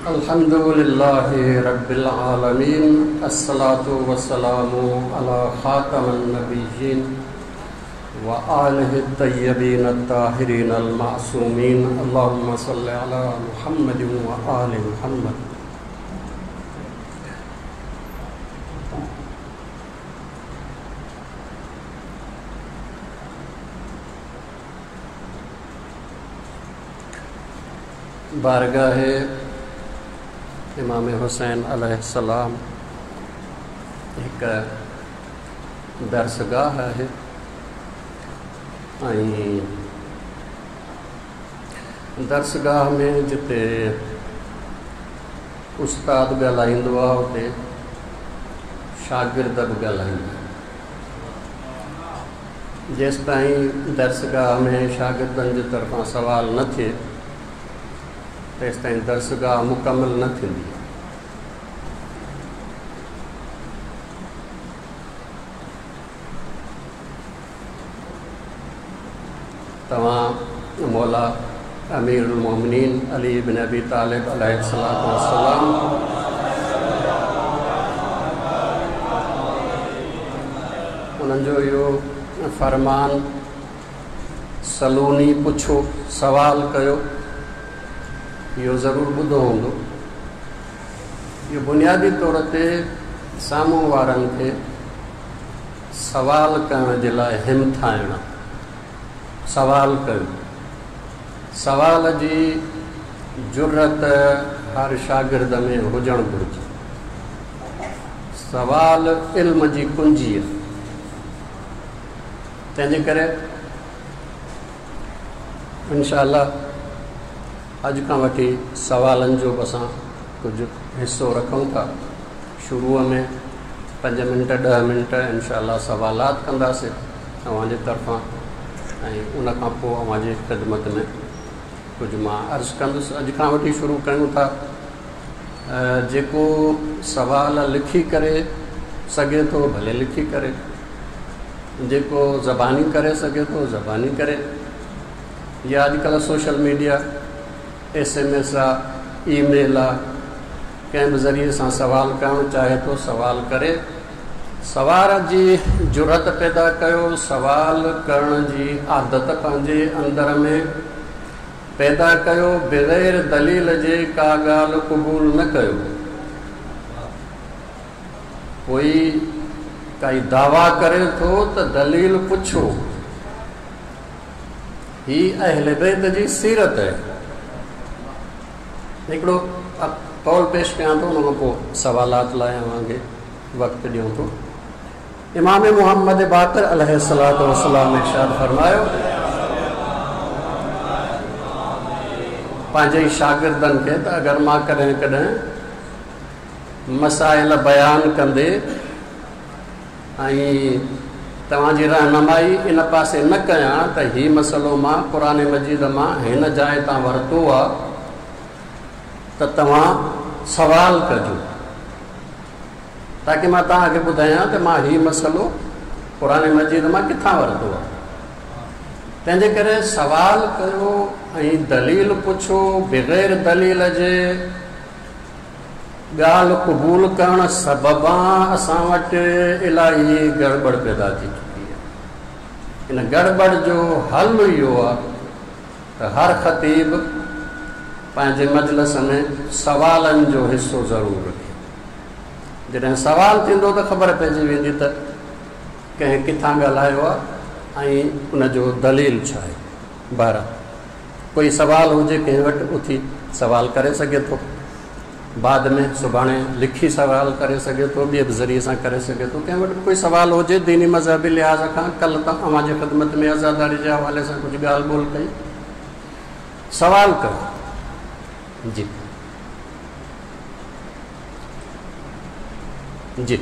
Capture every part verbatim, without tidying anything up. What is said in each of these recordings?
अल्हम्दुलिल्लाहि रब्बिल आलमीन, अस्सलातु वस्सलामु अला खातमन नबिय्यीन व आलिहि तय्यबीन अत्ताहिरीन अल मासूमीन। अल्लाहुम्मा सल्लि अला मुहम्मद व आलि मुहम्मद। बारगाह इमाम हुसैन अलैहिस्सलाम हिकु दर्सगाह आहे ऐं दर्सगाह में जिते उस्ताद ॻाल्हाईंदो आहे उते शागिर्द बि ॻाल्हाईंदा। जेसि ताईं दर्सगाह में शागिर्दनि जे तरफ़ां सवाल न थिए तेसि ताईं दर्सगाह मुकमल न थींदी। तव्हां मौला अमीरुल मोमिनीन अली बिन अबी तालिब अलैहिस्सलातु वस्सलाम उन्हनि जो इहो फरमान सलूनी पुछो सवाल कयो, इहो ज़रूरु ॿुधो हूंदो। इहो बुनियादी तौर ते साम्हूं वारनि खे सवाल करण जे लाइ हिमथाइणु, सवाल कयो। सवाल जी जुर्रत हर शागिर्द में हुजणु घुरिजे। सवाल इल्म जी कुंजी आहे, तंहिंजे करे इनशा अॼु खां वठी सवालनि जो बि असां कुझु हिसो रखूं था। शुरूअ में पंज मिंट ॾह मिंट इनशा सवालात कंदासीं तव्हांजे तरफ़ां ऐं उन खां पोइ अव्हांजी ख़िदमत में कुझु मां अर्ज़ु कंदुसि। अॼु खां वठी शुरू कयूं था। जेको सवाल लिखी करे सघे थो भले लिखी करे, जेको ज़बानी करे सघे थो ज़बानी करे, या अॼुकल्ह social media S M S आहे, ईमेल आहे, कंहिं बि ज़रिए सां सवाल करणु चाहे थो सवाल करे। सवाल जी जुरत पैदा कयो, सवाल करण जी आदत पंहिंजे अंदर में पैदा कयो, बग़ैर दलील जे का ॻाल्हि क़बूल न कयो। कोई काई दावा करे थो त दलील पुछो। ही अहले बैत जी सीरत आहे। हिकिड़ो कौल पेश कयां थो, उन खां पोइ सवालात लाइ अव्हांखे वक़्तु ॾियूं थो। इमाम मोहम्मद बाक़िर अलैहिस्सलातु वस्सलाम इरशाद फरमायो, पंहिंजे शागिर्दनि खे त अगरि मां कॾहिं कॾहिं मसाइल बयान कंदे ऐं तव्हांजी रहनुमाई इन पासे न कयां त हीउ मसइलो मां क़ुर मजीद मां हिन जाइ तां वरितो आहे त तव्हां सवाल कजो, ताकि मां तव्हांखे ॿुधायां त मां हीउ मसइलो क़ुर मजीद मां किथां वरितो आहे। तंहिंजे करे सवाल कयो ऐं दलील पुछो। बग़ैर दलील जे ॻाल्हि क़बूल करण सबबां असां वटि इलाही गड़बड़ पैदा थी चुकी आहे। इन गड़बड़ जो हल इहो आहे त हर ख़तीब पंहिंजे मजलिस में सवालनि जो हिसो ज़रूरु रखे। जॾहिं सवाल थींदो त ख़बर पइजी वेंदी त कंहिं किथां ॻाल्हायो आहे ऐं उन जो दलील छा आहे। बहरहाल कोई सवाल हुजे कंहिं वटि उथी सवाल करे सघे थो, बाद में सुभाणे लिखी सवाल करे सघे थो, ॿिए बि ज़रिए सां करे सघे थो। कंहिं वटि कोई सवाल हुजे दीनी मज़हबी लिहाज़ खां, कल्ह त अव्हांजी ख़िदमत में आज़ादारी जे हवाले सां कुझु ॻाल्हि ॿोल कई, सवाल कयो। जी जी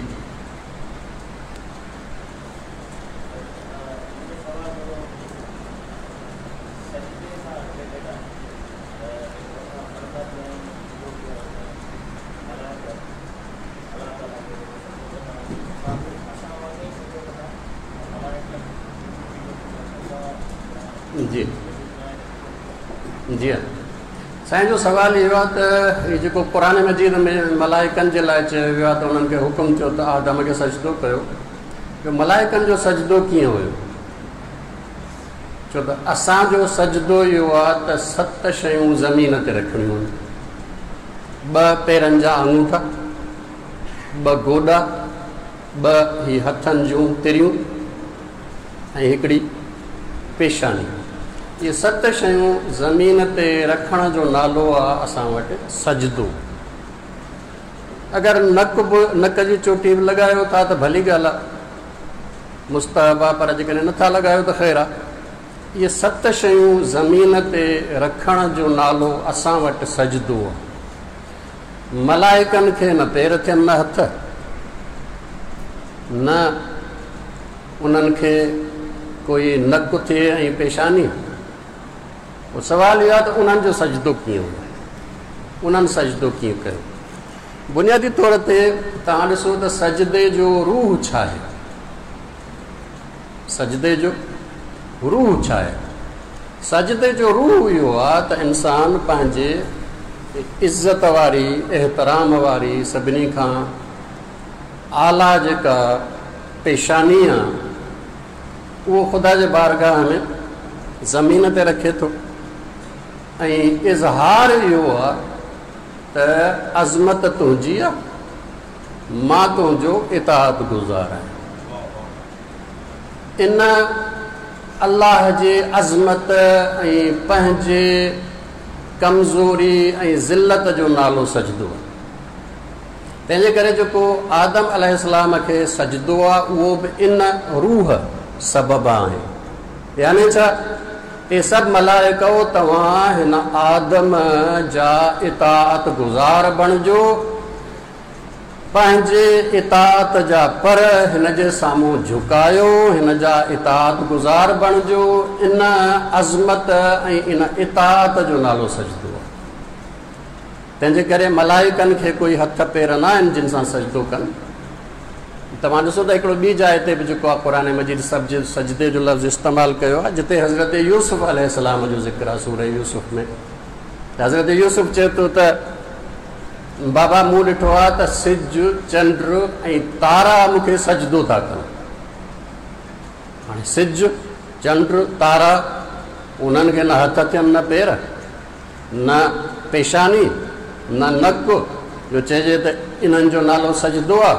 जी जी हाँ, سائين جو سوال اهو آهي ته هي جيڪو قرآن مجيد ۾ ملائڪن جي لاءِ چيو ويو آهي ته انهن کي حڪم ٿيو ته آدم کي سجدو ڪيو، جو ملائڪن جو سجدو ڪيئن هيو؟ ڇو ته اسان جو سجدو اهو آهي ته ست شيون زمين تي رکڻيون آهن، ٻه پيرن جا آڱوٺا، ٻه گوڏا، ٻه هي هٿن جون تريون ۽ هڪڙي پيشاني. اهي ست شيون زمين تي رکڻ جو نالو آهي اسان وٽ سجدو. اگر نڪ به نڪ جي چوٽي به لڳايو ٿا ته ڀلي ڳالهه آهي، مستحب آهي، پر جيڪڏهن نٿا لڳايو ته خير آهي. اهي ست شيون زمين تي رکڻ جو نالو اسان وٽ سجدو آهي. ملائڪن کي نه پير ٿين نه هٿ، نه انهن کي ڪوئي نڪ ٿئي ۽ پيشاني. پوءِ سوال اهو آهي ته انهن جو سجدو ڪيئن هو، انهن سجدو ڪيئن ڪيو؟ بنيادي طور تي توهان ڏسو ته سجدي جو روح ڇا آهي؟ سجدي جو روح ڇا آهي؟ سجدي جو روح اهو آهي ته انسان پنهنجي عزت واري، احترام واري، سڀني کان اعليٰ جيڪا پيشاني آهي اهو خدا جي بارگاهه ۾ زمين تي رکي ٿو ۽ اظهار اهو آهي ته عظمت تنهنجي آهي، مان تنهنجو اطاعت گذار آهيان. ان الله جي عظمت ۽ پنهنجي ڪمزوري ۽ ذلت جو نالو سجدو آهي. تنهن جي ڪري جيڪو آدم عليه السلام کي سجدو آهي اهو به ان روح سبب آهي. يعني ڇا؟ اهي سڀ ملائڪو توهان هن آدم جا اطاعت گذار بڻجو، پنهنجي اطاعت جا پر هن جي سامهون جهڪايو، هن جا اطاعت گذار بڻجو. ان عظمت ۽ ان اطاعت جو نالو سجدو آهي. تنهن جي ڪري ملائڪن کي ڪوئي هٿ پير نه آهن جن سان سجدو ڪن. توهان ڏسو ته هڪڙو ٻي جاءِ تي به جيڪو آهي قرآن مجيد سڀ سجدي جو لفظ استعمال ڪيو آهي، جتي حضرت يوسف عليه السلام جو ذڪر آهي سورة يوسف ۾. ته حضرت يوسف چئي ٿو ته بابا مون ڏٺو آهي ته سج، چنڊ ۽ تارا مون کي سجدو ٿا ڪن. هاڻي سج، چنڊ، تارا انهن کي نه هٿ ٿين، نه پير، نه پيشاني، نه نڪ، جو چئجي ته انهن جو نالو سجدو آهي.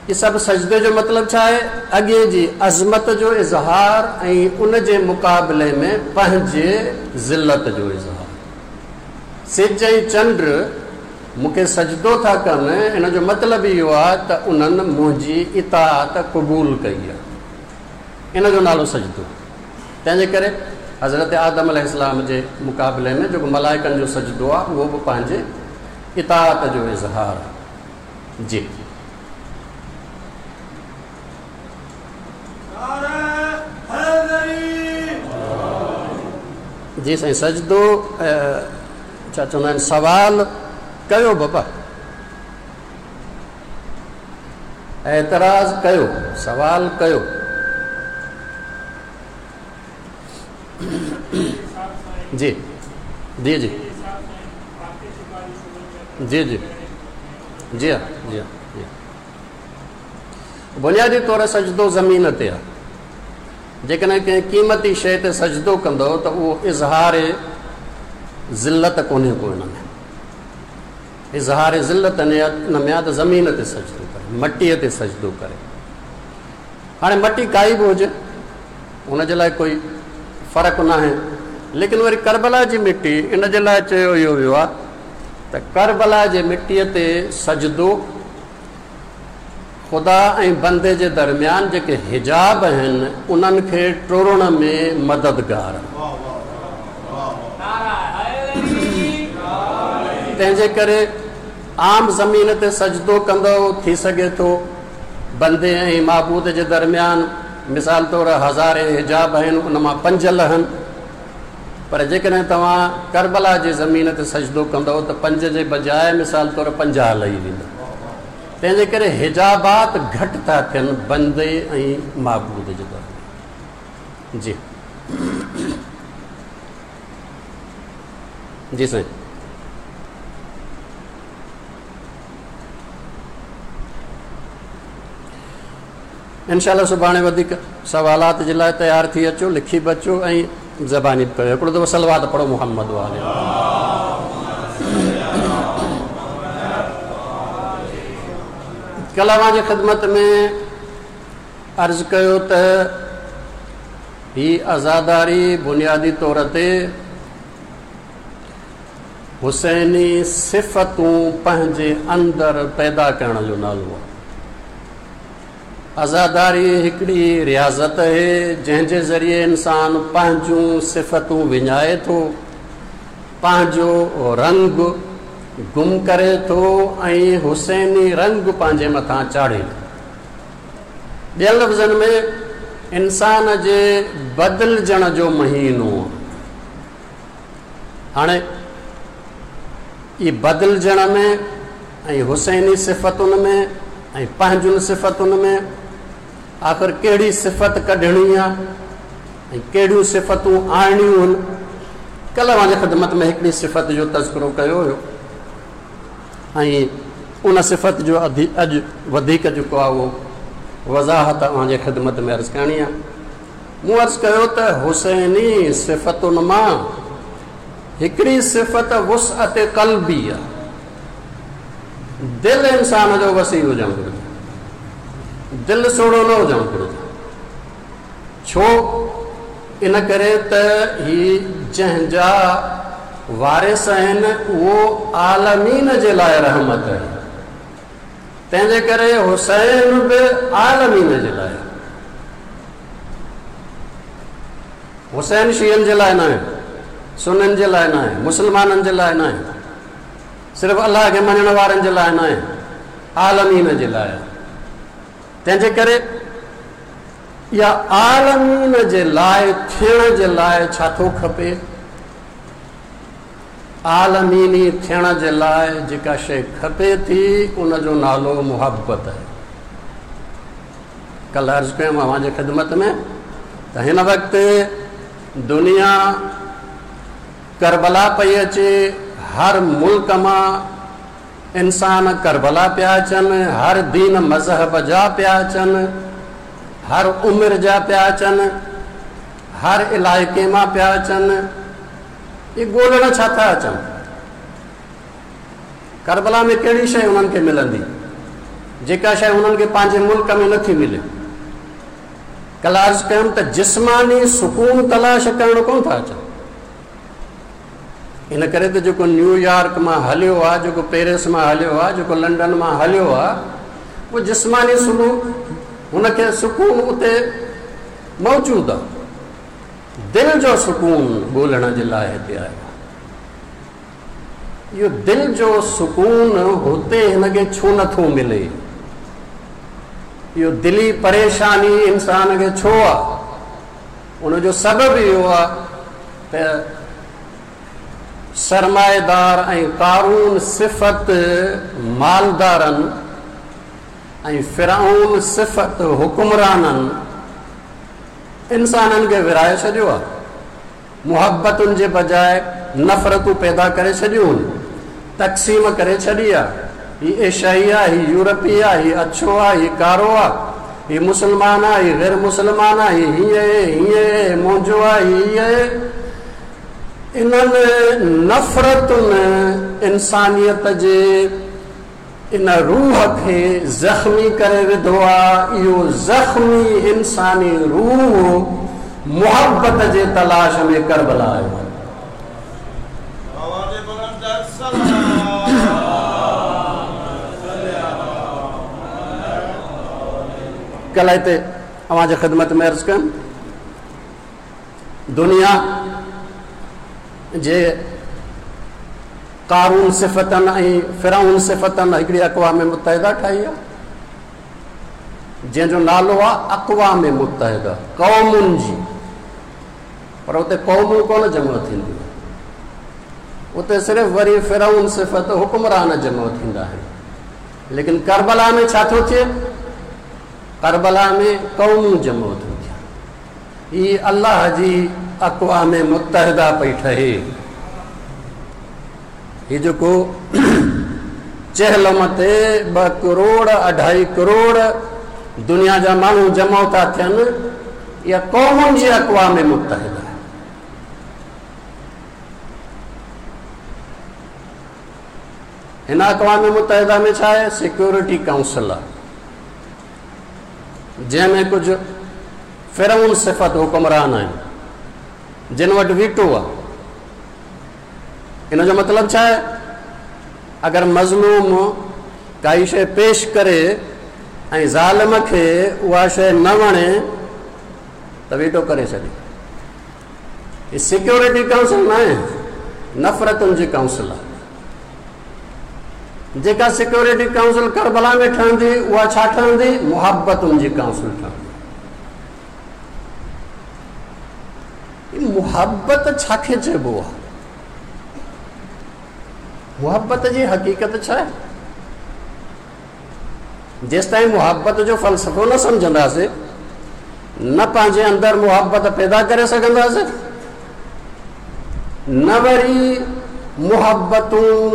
اهي سڀ سجدي جو مطلب ڇا آهي؟ اڳي جي عظمت جو اظهار ۽ ان جي مقابلي ۾ پنهنجي ذلت جو اظهار. سج ۽ چنڊ مون کي سجدو ٿا ڪن، ان جو مطلب اهو آهي ته انهن منهنجي اطاعت قبول ڪئي آهي، ان جو نالو سجدو. تنهن جي ڪري حضرت آدم عليه السلام جي مقابلي ۾ جيڪو ملائڪن جو سجدو آهي اهو به پنهنجي اطاعت جو اظهار آهي. جي جي سائين، سجدو ڇا چوندا آهن؟ سوال ڪيو بابا، اعتراض ڪيو، سوال ڪيو. جي جي جي جي جي جي ها جي ها جي. بنيادي طور سجدو زمين تي آهي. جيڪڏهن ڪنهن قيمتي شيءِ تي سجدو ڪندو ته اهو اظهار ذلت ڪونهي ڪو هن ۾. اظهار ذلت ان ۾ آهي ته زمين تي سجدو ڪري، مٽيءَ تي سجدو ڪري. هاڻي مٽي ڪائي به هجي ان جي لاءِ ڪوئي فرق نه آهي، ليڪن وري ڪربلا جي مٽي ان جي لاءِ چيو اهو ويو آهي ته ڪربلا جي مٽيءَ تي سجدو خدا ۽ بندي جي درميان جيڪي حجاب آهن انهن کي ٽوڙڻ ۾ مددگار. تنهن جي ڪري عام زمين تي سجدو ڪندو ٿي سگهي ٿو بندي ۽ معبود جي درميان مثال طور هزارين حجاب آهن ان مان پنج لهن، پر جيڪڏهن توهان ڪربلا جي زمين تي سجدو ڪندؤ ته پنج جي بجاءِ مثال طور پنجاهه لهي ويندا. تنهن جي ڪري حجابات گهٽ ٿا ٿين بندي ۽ معبود جي درميان. جي जी साईं। इंशाअल्लाह सुभाणे वधीक सवालात जे लाइ तयारु थी अचो, लिखी बि अचो ऐं ज़बानी बि कयो। हिकिड़ो दफ़ो सलवात पढ़ो मुहम्मद वाले। कल्ह अव्हांजी ख़िदमत में अर्ज़ु कयो त ही आज़ादारी बुनियादी तौर ते हुसैनी सिफ़तूं पंहिंजे अंदरि पैदा करण जो नालो आहे। आज़ादारी हिकिड़ी रियाज़त आहे जंहिंजे ज़रिए इंसान पंहिंजूं सिफ़तूं विञाए थो, पंहिंजो रंग गुम करे थो ऐं हुसैनी रंग पंहिंजे मथां चाढ़े थो। ॿियनि लफ़्ज़नि में इंसान जे बदिलजण जो महीनो। हाणे इहे बदिलजण में ऐं हुसैनी सिफ़तुनि में ऐं पंहिंजुनि सिफ़तुनि में आख़िर कहिड़ी सिफ़त कढणी आहे ऐं कहिड़ियूं सिफ़तूं आणियूं आहिनि। कल्ह अव्हांजी ख़िदमत में हिकिड़ी सिफ़त जो तज़किरो कयो हुयो ऐं उन सिफ़त जो अॼु वधीक जेको आहे उहो वज़ाहत अव्हांजी ख़िदमत में अर्ज़ु करणी आहे। मूं अर्ज़ु कयो त हुसैनी सिफ़तुनि मां हिकिड़ी सिफ़त वुसअत क़ल्बी आहे। दिलि इंसान जो वसी हुजणु घुरिजे, दिलि सोड़ो न हुजणु घुरिजे। छो? इन करे त ही जंहिंजा वारिस आहिनि उहो आलमीन जे लाइ रहमत आहे, तंहिंजे करे हुसैन बि आलमीन जे लाइ। हुसैन शियनि जे लाइ न आहे, सुन्नियुनि जे लाइ न आहे, मुसलमाननि जे लाइ न आहे, सिर्फ़ु अलाह खे मञण वारनि जे लाइ न आहे, आलमीन जे लाइ आहे। तंहिंजे करे इहा आलमीन जे लाइ थियण जे लाइ छा थो खपे? आलमीनी थियण जे लाइ जेका शइ खपे थी उनजो नालो मुहबत आहे। कल्ह अर्ज़ु कयमि अव्हांजी ख़िदमत में त हिन वक़्तु दुनिया करबला पई अचे, हर मुल्क मां इंसान करबला पिया अचनि, हर दीन मज़हब जा पिया अचनि, हर उमिरि जा पिया अचनि, हर इलाइक़े मां पिया अचनि। इहे ॻोल्हण छा था अचनि? करबला में कहिड़ी शइ उन्हनि खे मिलंदी जेका शइ उन्हनि खे पंहिंजे मुल्क में नथी मिले? कल्ह अर्ज़ु कयमि त जिस्मानी सुकून तलाश करण कोन था अचनि। इन करे त जेको न्यूयॉर्क मां हलियो आहे, जेको पेरिस मां हलियो आहे, जेको लंडन मां हलियो आहे, उहो जिस्मानी सुकून हुनखे सुकून उते मौजूदु आहे। दिलि जो सुकून ॻोल्हण जे लाइ हिते आयो आहे। इहो दिलि जो सुकून हुते हिनखे छो नथो मिले? इहो दिली परेशानी इंसान खे छो आहे? उनजो सबबु इहो आहे त सरमाएदार ऐं कारून सिफ़त मालदारनि ऐं फिराउन सिफ़त हुकुमराननि इंसाननि खे विराए छॾियो आहे। मुहबतुनि जे बजाए नफ़रतूं पैदा करे छॾियूं आहिनि, तक़सीम करे छॾी आहे। हीउ एशियाई आहे, हीउ यूरोपी आहे, हीउ अच्छो आहे, हीउ कारो आहे, हीउ मुसलमान आहे, हीउ ग़ैर मुसलमान आहे, हीउ हीअं आहे, हीअं आहे, मुंहिंजो आहे, हीअं आहे। इन्हनि नफ़रतुनि इंसानियत जे इन रूह खे ज़ख़्मी करे विधो आहे। इहो ज़ख़्मी इंसानी रूह मुहबत जे तलाश में करबला आयो आहे। कल्ह हिते अव्हांजी ख़िदमत में अर्ज़ु कयमि, दुनिया जे कारून सिफ़तनि ऐं फिराउन सिफ़तनि हिकिड़ी अक़वाम मुत्तहिदा ठाही आहे जंहिंजो नालो आहे अक़वाम मुत्तहिदा, क़ौमुनि जी। पर उते क़ौमूं कोन जमा थींदियूं, उते सिर्फ़ु वरी फिराउन सिफ़त हुकुमरान जमा थींदा आहिनि। लेकिन करबला में छा थो थिए? करबला में क़ौमूं जमा थियूं थियनि। हीअ अलाह जी अक़वाम मुत्तहिदा पई ठहे। هي جيڪو چهلم تي ٻه ڪروڙ اڍائي ڪروڙ دنيا جا ماڻهو جمع ٿا ٿين، اها قومن جي اقوام متحده آهي. هن اقوام متحده ۾ ڇا آهي؟ سيڪيورٽي ڪائونسل آهي، جنهن ۾ ڪجهه فرعون صفت حڪمران آهن جن وٽ ويٽو آهي. ان جو مطلب ڇا آهي؟ اگر مظلوم ڪائي شيءِ پيش ڪري ۽ ظالم کي اها شيءِ نه وڻي ته ويٽو ڪري ڇڏي. هي سيڪيورٽي ڪائونسل نه آهي، نفرتن جي ڪائونسل آهي. جيڪا سيڪيورٽي ڪائونسل ڪربلا ۾ ٺهندي اها ڇا ٺهندي؟ محبتن جي ڪائونسل ٺهندي. محبت ڇا کي چئبو آهي؟ محبت جي حقيقت ڇا آهي؟ جيستائين محبت جو فلسفو نه سمجهنداسين، نه پنهنجي اندر محبت پيدا ڪري سگهنداسين، نه وري محبتون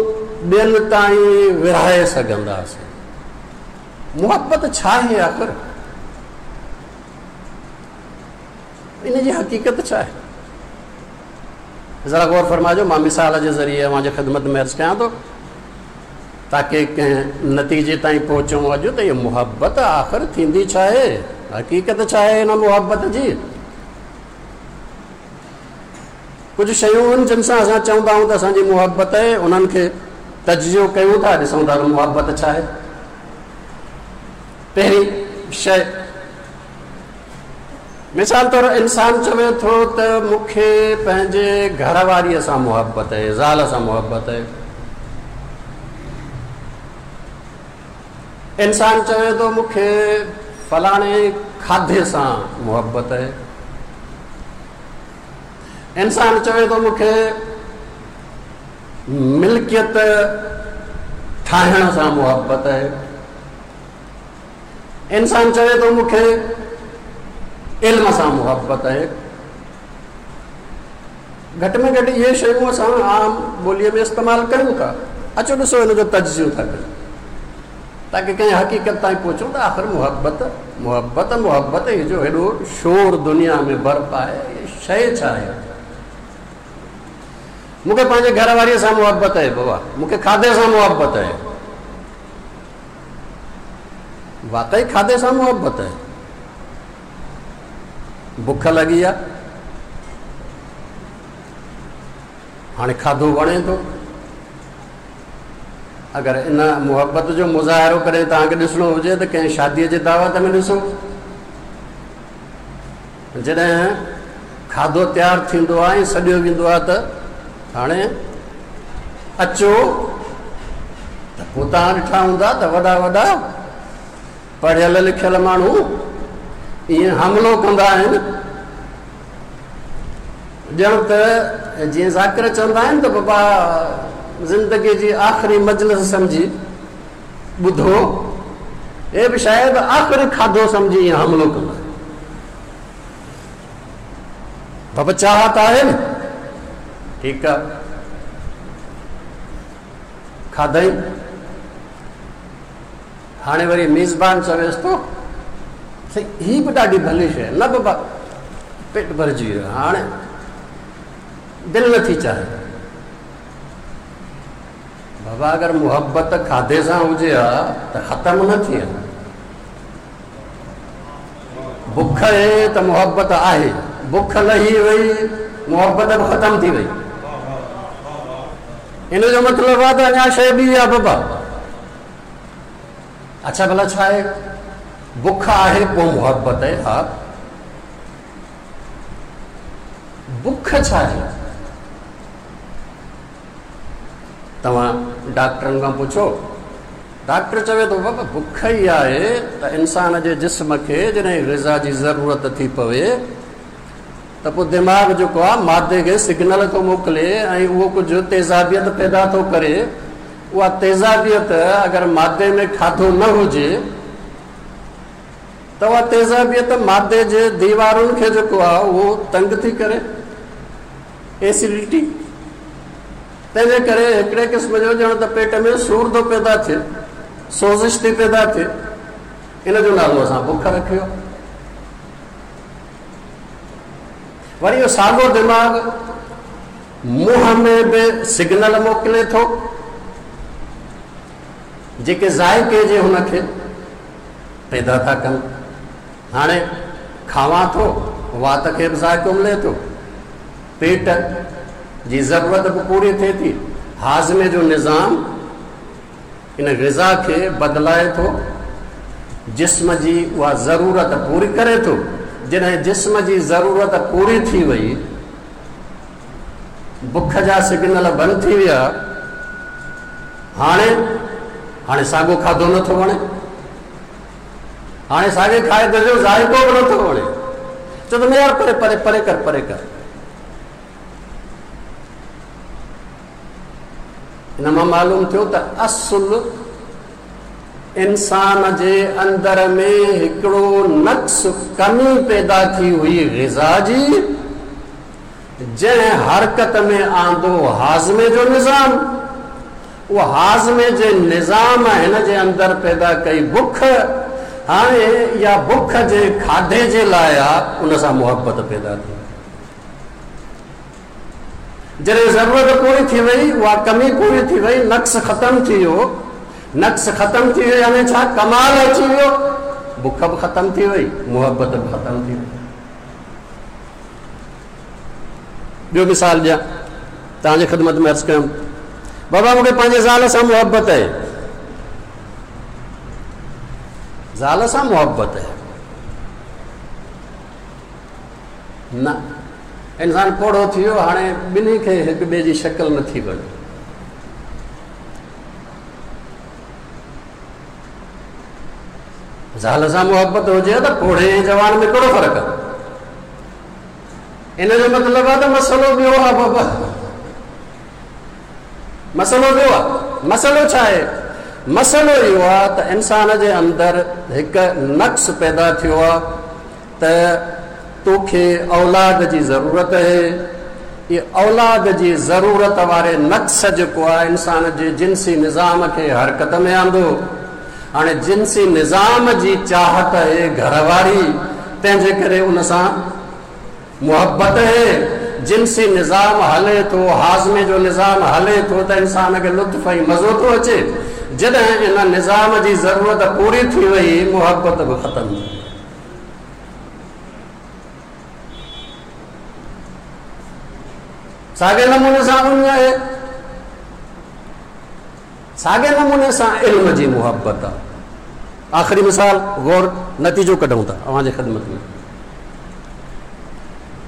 ٻين تائين ورهائي سگهنداسين. محبت ڇا آهي آخر؟ ان جي حقيقت ڇا آهي؟ ذرا غور فرمائجو، مان مثال جي ذريعي اوهان جي خدمت ۾ عرض ڪيان ٿو تاڪه ڪنهن نتيجي تائين پهچون اڄ ته اها محبت آخر ٿيندي ڇا آهي، حقيقت ڇا آهي هن محبت جي. ڪجهه شيون آهن جن سان اسان چوندا آهيون ته اسان جي محبت آهي، انهن کي تجزيو ڪيون ٿا، ڏسون ٿا ته محبت ڇا آهي. پهرين شيءِ مثال طور انسان چوي ٿو ته مون کي پنهنجي گهر واريءَ سان محبت آهي، زال سان محبت آهي. انسان چوي ٿو مون کي فلاڻي کاڌي سان محبت آهي. انسان چوي ٿو مون کي ملڪيت ٺاهڻ سان محبت آهي. انسان چوي ٿو مون کي علم سان محبت آهي. گهٽ ۾ گهٽ اهي شيون اسان عام ٻوليءَ ۾ استعمال ڪيون ٿا. اچو ڏسو هن جو تجزيو ٿا ڪيون تاڪه ڪنهن حقيقت تائين پهچون ته آخر محبت محبت محبت هي جو هيڏو شور دنيا ۾ برپا آهي، هيءَ شيءِ ڇا آهي؟ مون کي پنهنجي گهر واريءَ سان محبت آهي بابا، مون کي کاڌي سان محبت آهي. واقعي کاڌي سان محبت آهي؟ بک لڳي آهي، هاڻي کاڌو وڻي ٿو. اگر ان محبت جو مظاهرو ڪڏهن توهان کي ڏسڻو هجي ته ڪنهن شاديءَ جي دعوت ۾ ڏسو، جڏهن کاڌو تيار ٿيندو آهي ۽ سڏيو ويندو آهي ته هاڻي اچو، ته پوءِ توهان ڏٺا هوندا ته وڏا وڏا پڙهيل لکيل ماڻهو ائين حملو ڪندا آهن، ڄڻ ته جيئن ذاڪر چوندا آهن ته بابا زندگيءَ جي آخري مجلس سمجهي ٻڌو، هي به شايد آخري کاڌو سمجهي ائين حملو ڪندا آهن. بابا چاهت آهي نه، ٺيڪ آهي، کاڌئي. هاڻي وري ميزبان چويس ٿو سائين هيءَ به ڏاڍي ڀلي شيءِ آهي. نه بابا پيٽ ڀرجي ويو، هاڻي دل نٿي چاهي. بابا اگر محبت کاڌي سان هجي ها ته ختم نه ٿئي ها. بک آهي ته محبت آهي، بک لهي وئي محبت به ختم ٿي وئي. ان جو مطلب آهي ته اڃا شيءِ ٻي آهي بابا. اڇا ڀلا ڇا آهي؟ بک آهي پوءِ محبت آهي. ها بک ڇا آهي؟ توهان ڊاڪٽرن کان پڇو، ڊاڪٽر چوي ٿو بابا بک ئي آهي ته انسان جي جسم کي جڏهن غذا جي ضرورت ٿي پوي ته پوءِ دماغ جيڪو آهي مادي کي سگنل ٿو موڪلي ۽ اهو ڪجهه تيزابيت پيدا ٿو ڪري. اها تيزابيت اگر مادي ۾ کاڌو نه هجي ته اها تيزابيت مادي جي ديوارن کي جيڪو آهي اهو تنگ ٿي ڪري، ايسڊٽي، تنهنجي ڪري هڪڙي قسم جو ڄڻ ته پيٽ ۾ سور ٿو پيدا ٿئي، سوزش ٿي پيدا ٿئي، ان جو نالو اسان بک رکيو. وري اهو ساڳيو دماغ منهن ۾ به سگنل موڪلي ٿو، جيڪي ذائقي جي هن کي پيدا ٿا ڪن. هاڻي کاوان ٿو، وات کي به ذائقو ملي ٿو، پيٽ جي ضرورت به پوري ٿئي ٿي، هاضمي جو نظام ان غذا کي بدلائي ٿو، جسم جي اها ضرورت پوري ڪري ٿو. جڏهن جسم جي ضرورت پوري ٿي وئي، بک جا سگنل بند ٿي ويا، هاڻي هاڻي ساڳو کاڌو نٿو وڻي، هاڻي ساڳي کاڌي جو ذائقو به نٿو وڻي، چئو ته يار پري پري پري ڪر پري ڪر. ان مان معلوم ٿيو ته اصل انسان جي اندر ۾ هڪڙو نقص، ڪمي پيدا ٿي هئي غذا جي، جنهن حرڪت ۾ آندو هاضمي جو نظام. اهو هاضمي جي نظام هن جي اندر پيدا ڪئي بک. هاڻي اها بک جي کاڌي جي لاءِ آهي، ان سان محبت پيدا ٿي. جڏهن ضرورت پوري ٿي وئي، اها ڪمي پوري ٿي وئي، نقص ختم ٿي ويو. نقص ختم ٿي ويو يعني ڇا؟ ڪمال اچي ويو، بک به ختم ٿي وئي، محبت به ختم ٿي وئي. ٻيو مثال ڏيان توهان جي خدمت ۾ عرض ڪيم، بابا مون کي پنهنجي زال سان محبت آهي، زال سان محبت آهي نه. انسان پوڙهو ٿي ويو، هاڻي ٻنهي کي هڪ ٻئي جي شڪل نٿي وڻي. زال سان محبت هجي ته پوڙهي ۽ جوان ۾ ڪهڙو فرق آهي؟ ان جو مطلب آهي ته مسئلو ٻيو آهي بابا، مسئلو ٻيو آهي. مسئلو ڇا آهي؟ مسئلو اهو آهي ته انسان جي اندر هڪ نقص پيدا ٿيو آهي ته توکي اولاد جي ضرورت آهي. اها اولاد جي ضرورت واري نقص جيڪو آهي انسان جي جنسي نظام کي حرڪت ۾ آندو. هاڻي جنسي نظام جي چاهت آهي گهر واري، تنهن جي ڪري ان سان محبت آهي. جنسي نظام هلي ٿو، هاضمي جو نظام هلي ٿو ته انسان کي لطف ۽ مزو ٿو اچي. جڏهن ان نظام جي ضرورت پوري ٿي وئي، محبت به ختم ٿي وئي. ساڳي نموني سان اڃ آهي، ساڳي نموني سان علم جي محبت آهي. آخري مثال غور نتيجو ڪڍون ٿا اوهان جي خدمت ۾.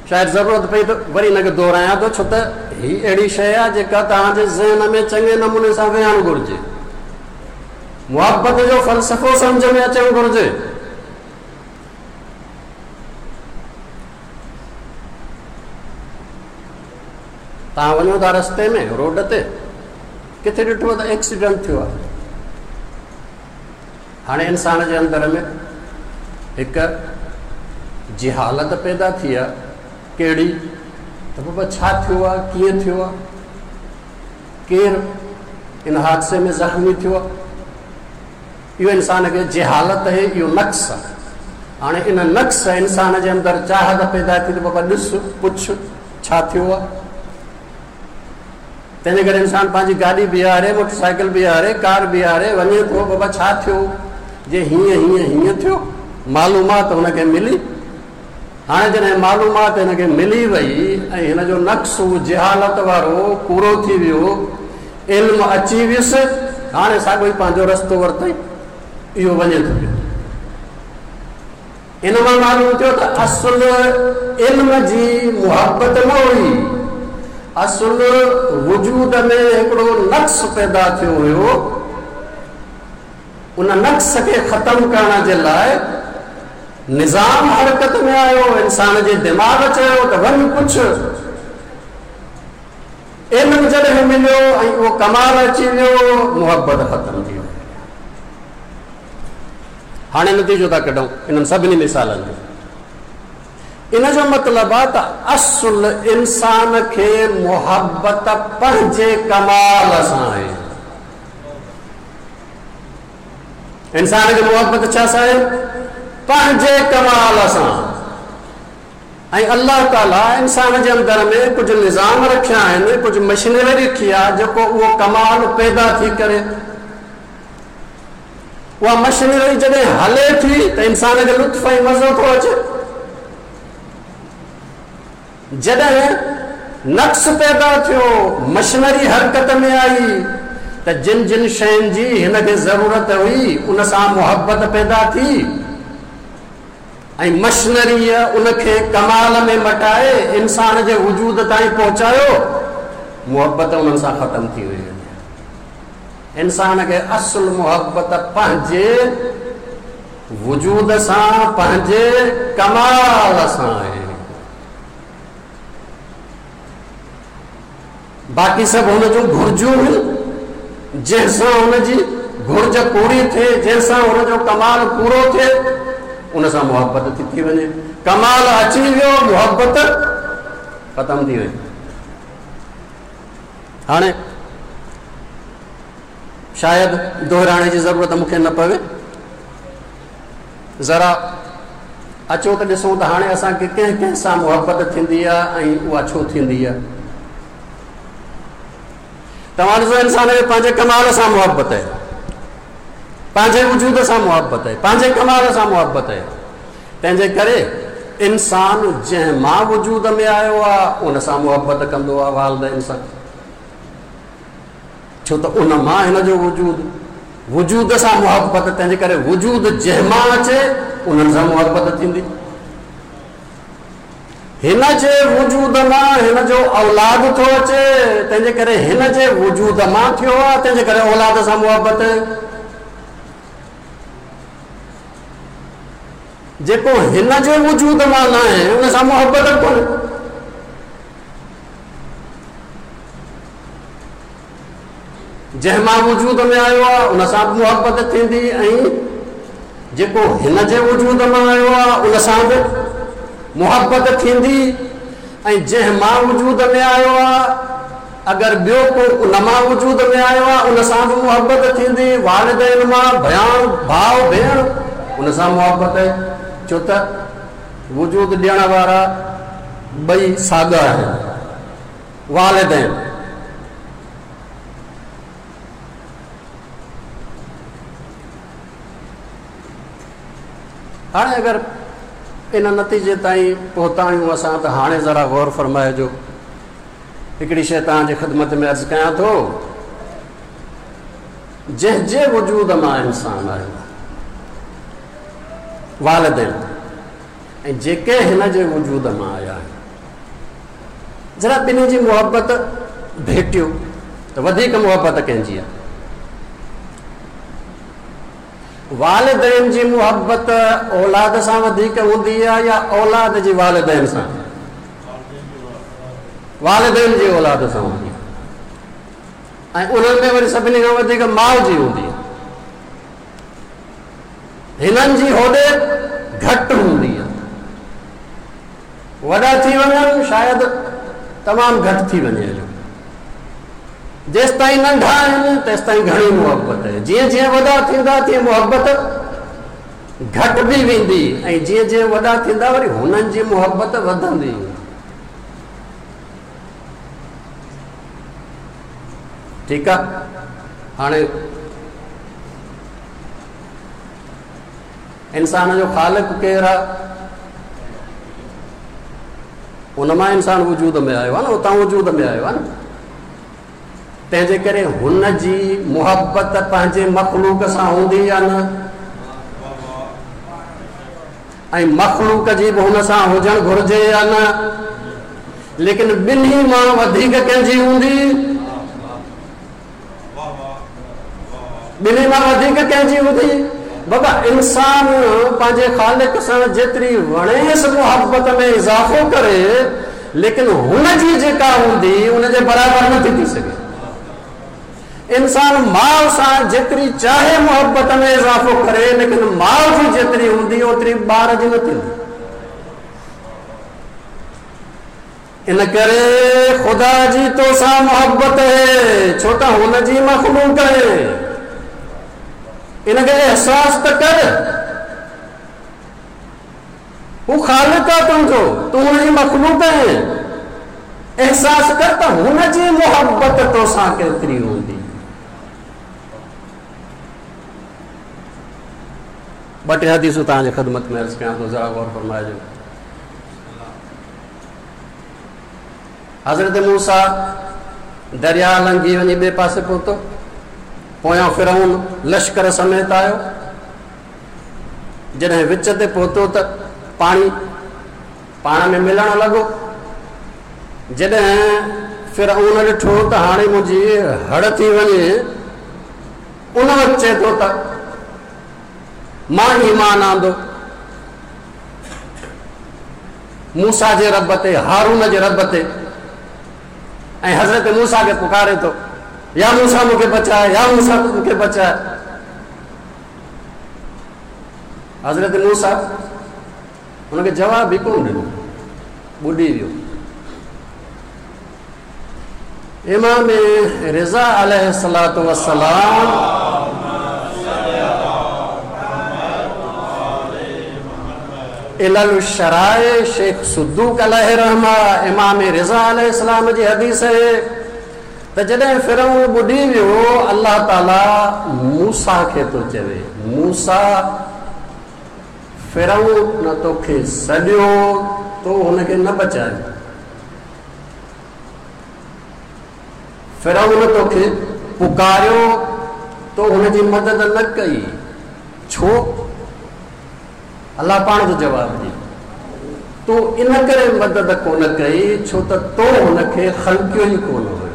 شايد ضرورت پئي ته وري هن کي دهرايان ٿو، ڇو ته هي اهڙي شيءِ آهي جيڪا توهان جي ذهن ۾ چڱي نموني سان ويهڻ گهرجي. محبت جو فلسفو سمجهه ۾ اچڻ گهرجي. توهان وڃو ٿا رستي ۾ روڊ تي، ڪٿي ڏٺو ته ايڪسيڊنٽ ٿيو آهي. هاڻي انسان جي اندر ۾ هڪ جهالت پيدا ٿي آهي، ڪهڙي؟ ته بابا ڇا ٿيو آهي، ڪيئن ٿيو آهي، ڪير ان حادثي ۾ زخمي ٿيو آهي؟ اهو انسان کي جهالت آهي، اهو نقص آهي. هاڻي ان نقص انسان جي اندر چاهت پيدا ٿي ته بابا ڏس پڇ ڇا ٿيو آهي. تنهنجي ڪري انسان پنهنجي گاڏي بيهاري، موٽر سائيڪل بيهاري، ڪار بيهاري وڃي ٿو، بابا ڇا ٿيو، جي هيئن هيئن هيئن ٿيو، معلومات هن کي ملي. هاڻي جڏهن معلومات هن کي ملي وئي ۽ هن جو نقص جهالت وارو پورو ٿي ويو، علم اچي ويس، هاڻي ساڳيو ئي پنهنجو رستو ورتئي، اهو وڃي ٿو پيو. ان مان معلوم ٿيو ته اصل علم جي محبت نه هئي، اصل وجود ۾ هڪڙو نقص پيدا ٿيو هيو. ان نقص کي ختم ڪرڻ جي لاءِ نظام حرڪت ۾ آيو. انسان جي دماغ چيو ته وڃ پڇ. علم جڏهن مليو ۽ اهو ڪمال اچي ويو، محبت ختم ٿي وئي. هاڻي نتيجو ٿا ڪڍون انهن سڀني مثالن جو. ان جو مطلب آهي ته اصل انسان کي محبت پنهنجي ڪمال سان آهي. انسان کي محبت ڇا سان آهي؟ پنهنجي ڪمال سان. ۽ الله تعاليٰ انسان جي اندر ۾ ڪجهه نظام رکيا آهن، ڪجهه مشينري رکي آهي جيڪو اهو ڪمال پيدا ٿي ڪري. اها مشينري جڏهن هلي ٿي ته انسان کي لطف ۽ مزو ٿو اچي. جڏهن نقص پيدا ٿيو، مشينري حرڪت ۾ آئي ته جن جن شين جي هن کي ضرورت هئي ان سان محبت پيدا ٿي ۽ مشينريء ان کي ڪمال ۾ مٽائي انسان جي وجود تائين پهچايو، محبت انهن سان ختم ٿي وئي. انسان کي اصل محبت پنهنجي وجود سان، پنهنجي ڪمال سان آهي. باقي سڀ هن جون گهرجون هن، جنهن سان هن جي گهرج پوري ٿئي، جنهن سان هن جو ڪمال پورو ٿئي، ان سان محبت ٿي ٿي وڃي. ڪمال اچي ويو، محبت ختم ٿي وئي. هاڻي شايد دهرائڻ جي ضرورت مون کي نه پوي. ذرا اچو ته ڏسون ته هاڻي اسان کي ڪنهن ڪنهن سان محبت ٿيندي آهي ۽ اها ڇو ٿيندي آهي. توهان ڏسو، انسان کي پنهنجي ڪمال سان محبت آهي، پنهنجي وجود سان محبت آهي، پنهنجي ڪمال سان محبت آهي. تنهن جي ڪري انسان جنهن مان وجود ۾ آيو آهي ان سان محبت ڪندو آهي، والدين سان، ڇو ته ان مان هن جو وجود، وجود سان محبت. تنهن جي ڪري وجود جنهن مان اچي انهن سان محبت ٿيندي. هن جي وجود مان هن جو اولاد ٿو اچي، تنهن جي ڪري هن جي وجود مان ٿيو آهي، تنهن جي ڪري اولاد سان محبت. جيڪو هن جي وجود مان نه آهي ان سان محبت ڪونهي. جنهن مان وجود ۾ آيو آهي ان سان به محبت ٿيندي ۽ جيڪو هن جي وجود مان آيو آهي ان سان به محبت ٿيندي ۽ جنهن مان وجود ۾ آيو آهي اگر ٻيو ڪو ان مان وجود ۾ آيو آهي ان سان به محبت ٿيندي. والدين مان ڀياڻ، ڀاءُ، ڀيڻ، ان سان محبت آهي، ڇو ته وجود ڏيڻ وارا ٻئي ساڳا آهن، والدين. هاڻي اگر ان نتيجي تائين پهتا آهيون اسان ته هاڻي ذرا غور فرمائجو. هڪڙي شيء توهان جي خدمت ۾ عرض ڪيان ٿو، جنهن جي وجود مان انسان آيو والدين ۽ جيڪي هن جي وجود مان آيا آهن، ذرا ٻنهي جي محبت ڀيٽيو ته وڌيڪ محبت ڪنهن جي آهي؟ والدين جي محبت اولاد سان وڌيڪ هوندي آهي يا اولاد جي والدين سان؟ والدين جي اولاد سان هوندي آهي ۽ انهن ۾ وري سڀني کان وڌيڪ ماءُ جي هوندي آهي. هنن جي هوڏي گهٽ هوندي آهي. وڏا ٿي وڃن شايد تمام گهٽ ٿي وڃي. جو جيستائين ننڍا آهن تيستائين گهڻي محبت آهي، جيئن جيئن وڏا ٿيندا تيئن محبت گهٽبي ويندي ۽ جيئن جيئن وڏا ٿيندا وري هنن جي محبت وڌندي. ٺيڪ آهي. هاڻي انسان جو خالق ڪير آهي؟ ان مان انسان وجود ۾ آيو آهي نه، اتان وجود ۾ آيو آهي نه. تنهن جي ڪري هن جي محبت پنهنجي مخلوق سان هوندي يا نه؟ ۽ مخلوق جي به هن سان هجڻ گهرجي يا نه؟ ليڪن ٻنهي مان وڌيڪ ڪنهن جي هوندي؟ ٻنهي مان وڌيڪ ڪنهن جي هوندي؟ بابا انسان پنهنجي خالق سان جيتري وڻيس محبت ۾ اضافو ڪري، ليڪن هن جي جيڪا هوندي ان جي برابر نٿي ٿي سگهي. انسان ماءُ سان جيتري چاهي محبت ۾ اضافو ڪري، ليڪن ماءُ جي جيتري هوندي اوتري ٻار جي نه ٿيندي. इन करे ख़ुदा जी तोसां मुहबत आहे, छो त हुन जी मख़लूक आहे। इनखे अहसास त कर, हू ख़ालिक आहे तुंहिंजो, तूं हुनजी मख़लूक आहे। अहसास कर त हुनजी मुहबत तोसां केतिरी हूंदी। ॿ टे हदीसूं तव्हांजी ख़िदमत में अर्ज़ कयां थो, ज़रा गौर फरमाइजो। हज़रत मूसा दरिया लंघी वञी ॿिए पासे पहुतो, पोयां फिरौन लश्कर समेत आयो। जॾहिं विच ते पहुतो त पाणी पाण में मिलण लॻो। जॾहिं फिरौन ॾिठो त हाणे मुंहिंजी हड़ थी वञे, उन वक़्तु चए थो त मां ईमान आंदो मूसा जे रब ते, हारून जे रब ते। ऐं हज़रत मूसा खे पुकारे थो, या मूसा मूंखे बचाए, या मूसा मूंखे बचाए। हज़रत मूसा हुनखे जवाबु बि कोन ॾिनो, ॿुॾी वियो। इमाम रिज़ा अलैहिस्सलातु वस्सलाम इलल शराए शेख सदूक अलैहि रहमा इमाम रिज़ा अलैहिस्सलाम जी हदीस आहे त जॾहिं फिरौन ॿुॾी वियो, अल्लाह ताला मूसा खे थो चवे, मूसा फिरौन न तोखे सॾियो, तो हुनखे न बचायो। फिरौन तोखे पुकारियो, तो हुनजी मदद न कई। छो? अल्लाह पाण थो जवाबु ॾिए, तो इन करे मदद कोन कई छो त तो हुनखे ख़लकियो ई कोन हुयो।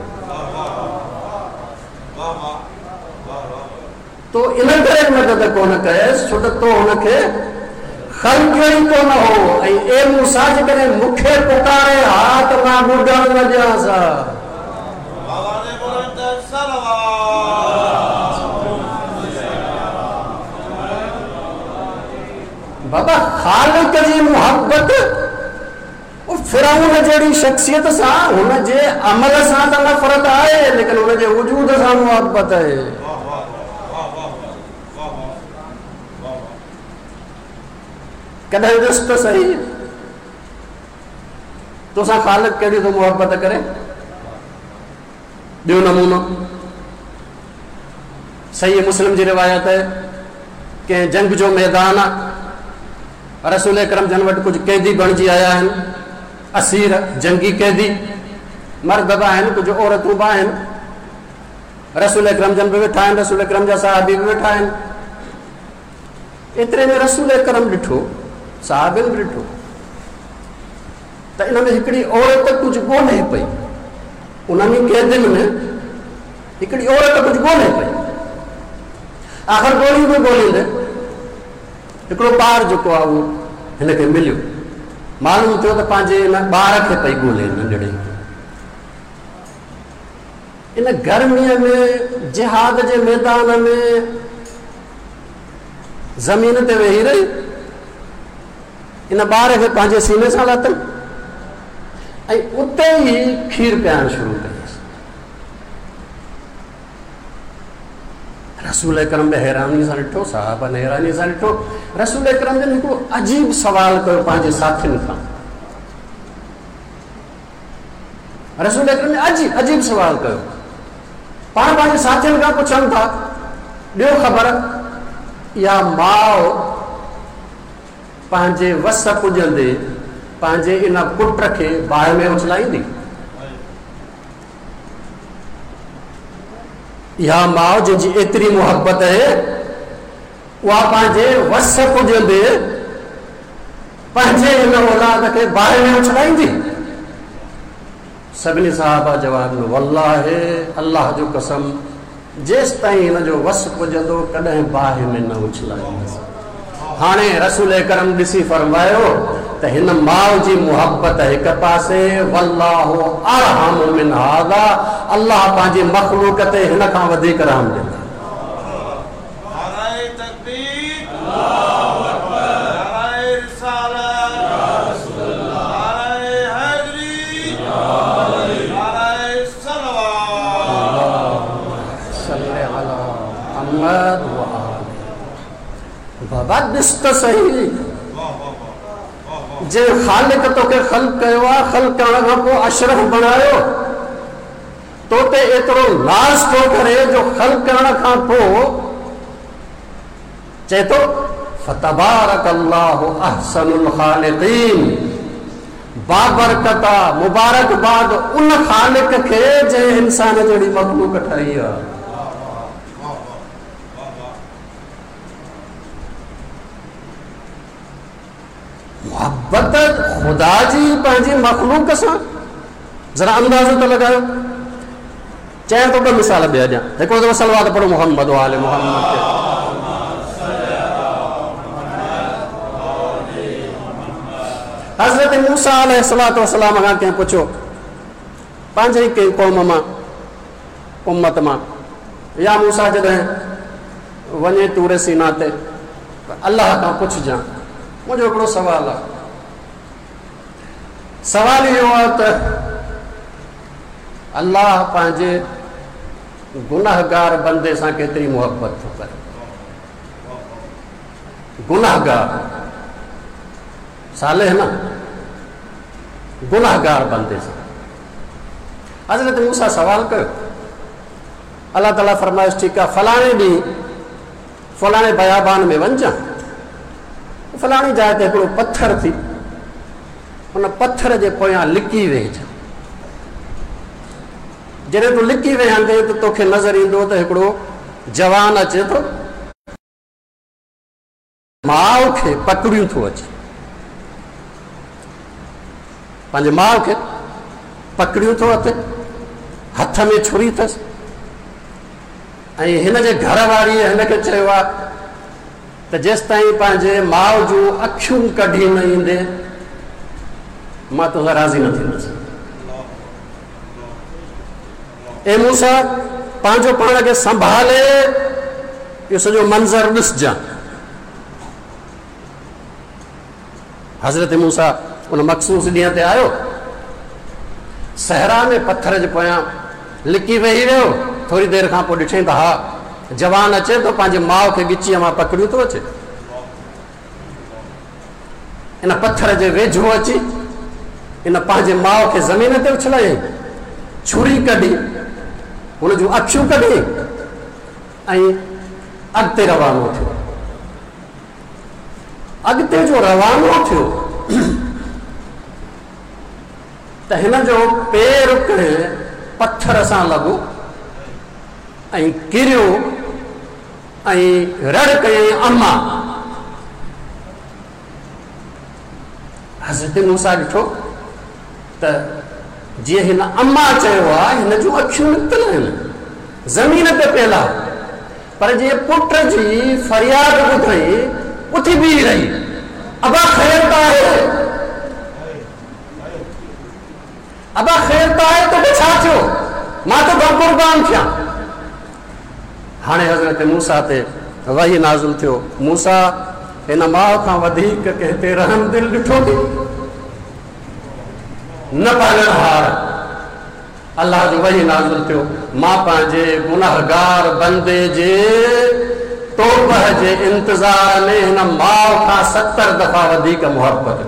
तो इन करे मदद कोन कयसि छो त तो हुनखे ख़लकियो ई कोन हो। ऐं ए मूसा, जेकॾहिं मूंखे पुकारे हा त मां ॿुधण न ॾियांसि हा। बाबा ख़ालिक जी मुहबत फिरौन जहिड़ी शख़्सियत सां, हुनजे अमल सां त नफ़रत आहे, लेकिन हुनजे वजूद सां मुहबत आहे। कॾहिं ॾिस त सही, तोसां ख़ालिक कहिड़ी थो मुहबत करे। ॿियो नमूनो सही मुस्लिम जी रिवायत आहे, कंहिं जंग जो मैदान आहे, रसूल करम जन वटि कुझु कैदी बणिजी आया आहिनि, असीर जंगी कैदी, मर्द बि आहिनि, कुझु औरतूं बि आहिनि। रसूल करम जन बि वेठा आहिनि, रसूल करम जा साहबी बि वेठा आहिनि। एतिरे में रसूल करम ॾिठो, साहबिनि बि ॾिठो त इन में हिकिड़ी औरत कुझु ॻोल्हे पई। उन्हनि कैदियुनि में हिकिड़ी औरत कुझु ॻोल्हे पई। आख़िर ॻोल्हींदे ॻोल्हींदे हिकिड़ो ॿार जेको आहे उहो हिनखे मिलियो। मालूम थियो त पंहिंजे हिन ॿार खे पई ॻोल्हे, नंढड़े खे। इन गर्मीअ में जिहाद जे मैदान में ज़मीन ते वेही रही, इन ॿार खे पंहिंजे सीने सां लाथई ऐं उते ई खीर पीअणु शुरू कयसि। रसूल करम बि हैरानी सां ॾिठो, साहबनि हैरानी सां ॾिठो। रसूल करम जन हिकिड़ो अजीब सवाल कयो पंहिंजे साथियुनि खां। रसूल करम अजीब अजीब सवाल कयो, पाण पंहिंजे साथियुनि खां पुछनि था, ॾियो ख़बर, इहा माउ पंहिंजे वस पुॼंदे पंहिंजे इन पुट खे बाहि में उछलाईंदी? इहा माउ जंहिंजी एतिरी मुहबत आहे, उहा पंहिंजे वस पुॼंदे पंहिंजे हिन औलाद खे बाहि में उछलाईंदी? सभिनी साहबा जवाब ॾिनो, वल्लाहे अल्लाह जो कसम, जेसि ताईं हिन जो वस पुॼंदो कॾहिं बाहि में न उछलाईंदसि। हाणे रसूल करम ॾिसी फरमायो त हिन माउ जी मुहबत हिक पासे, वल्लाहु अरहम मिन हाज़ा, अल्लाह पंहिंजी मख़लूक ते हिन खां वधीक रहम ॾींदो। नाराए तकबीर, अल्लाहु अकबर, नाराए रिसालत, या रसूल अल्लाह, नाराए हैदरी, मुहम्मद व आले। बाबा ॾिस त सही, जंहिं ख़ालिक तोखे ख़ल्क कयो आहे, ख़ल्क करण खां पोइ अशरफ बणायो, तो ते एतिरो नाज़ थो करे जो ख़ल्क करण खां पोइ चए थो फतबारकल्लाहु अहसनुल ख़ालिक़ीन, बाबरकता मुबारकबाद उन ख़ालिक खे जंहिं इंसान जहिड़ी मख़लूक ठाही आहे। मुहबत ख़ुदा जी पंहिंजी मख़लूक सां, ज़रा अंदाज़ो त लॻायो। चयां थो ॿ मिसाल ॿिया ॾियां, हिकिड़ो दफ़ो सलवात पढ़ो मोहम्मद आले मोहम्मद ते। हज़रत मूसा अलैहिस्सलातु वस्सलाम खां कंहिं पुछियो, पंहिंजे ई कंहिं क़ौम मां, उम्मत मां, या मूसा जॾहिं वञे तूर सीना ते अलाह खां पुछजां, मुंहिंजो हिकिड़ो सुवालु आहे। सवालु इहो आहे त अलाह पंहिंजे गुनाहगार बंदे सां केतिरी मुहबत थो करे। गुनाहगार सालेह न, गुनाहगार बंदे सां। हज़रत मूसा सवाल कयो, अलाह ताला फरमाइश ठीकु आहे, फलाणे ॾींहुं फलाणे बयाबान में वञिजां, फलाणी जाइ ते हिकिड़ो पथर थी, उन पथर जे पोयां लिकी वेहिजां। जॾहिं तूं लिकी वेहंदे त तोखे नज़र ईंदो त हिकिड़ो जवान अचे थो, माउ खे पकड़ियूं थो अचे, पंहिंजे माउ खे पकड़ियूं थो अचे, हथ में छुरी अथसि। ऐं हिन जे घर वारीअ हिन खे चयो आहे त जेसि ताईं पंहिंजे माउ जूं अखियूं कढी न ईंदे मां तोसां राज़ी न थींदुसि। ए मूसा, पंहिंजो पाण खे संभाले इहो सॼो मंज़र ॾिसजां। हज़रत मूसा उन मख़सूस ॾींहं ते आयो, सहरा में पथर जे पोयां लिकी वेही वियो। थोरी देरि खां पोइ ॾिठई त हा जवान अचे थो, पंहिंजे माउ खे ॻिचीअ मां पकड़ियूं थो अचे, इन पथर जे वेझो अची इन पंहिंजे माउ खे ज़मीन ते उछलायईं, छुरी कढी हुन जूं अखियूं कढी ऐं अॻिते रवानो थियो। अॻिते जो रवानो थियो त हिन जो पेर कंहिं पथर सां लॻो ऐं किरियो ऐं रड़ कयईं अम्मा। हज़रत मूसा ॾिठो त जीअं हिन अम्मा चयो आहे, हिन जूं अखियूं निकितल आहिनि, ज़मीन ते पियल आहे, पर जीअं पुट जी फ़रियाद ॿुधई उथी बीही रही, अबा ख़ैर त आहे, अबा ख़ैर त आहे, तोखे छा थियो, मां तो क़ुर्बान थियां। हाणे हज़रत मूसा ते वही नाज़िल थियो, मूसा हिन माउ खां वधीक कंहिं ते रहम दिल ॾिठो थी न पालणहार। अलाह जो वही नाज़िल थियो, मां पंहिंजे गुनाहगार बंदे जे तौबह जे इंतज़ार में हिन माउ खां सतरि दफ़ा वधीक मुहबत।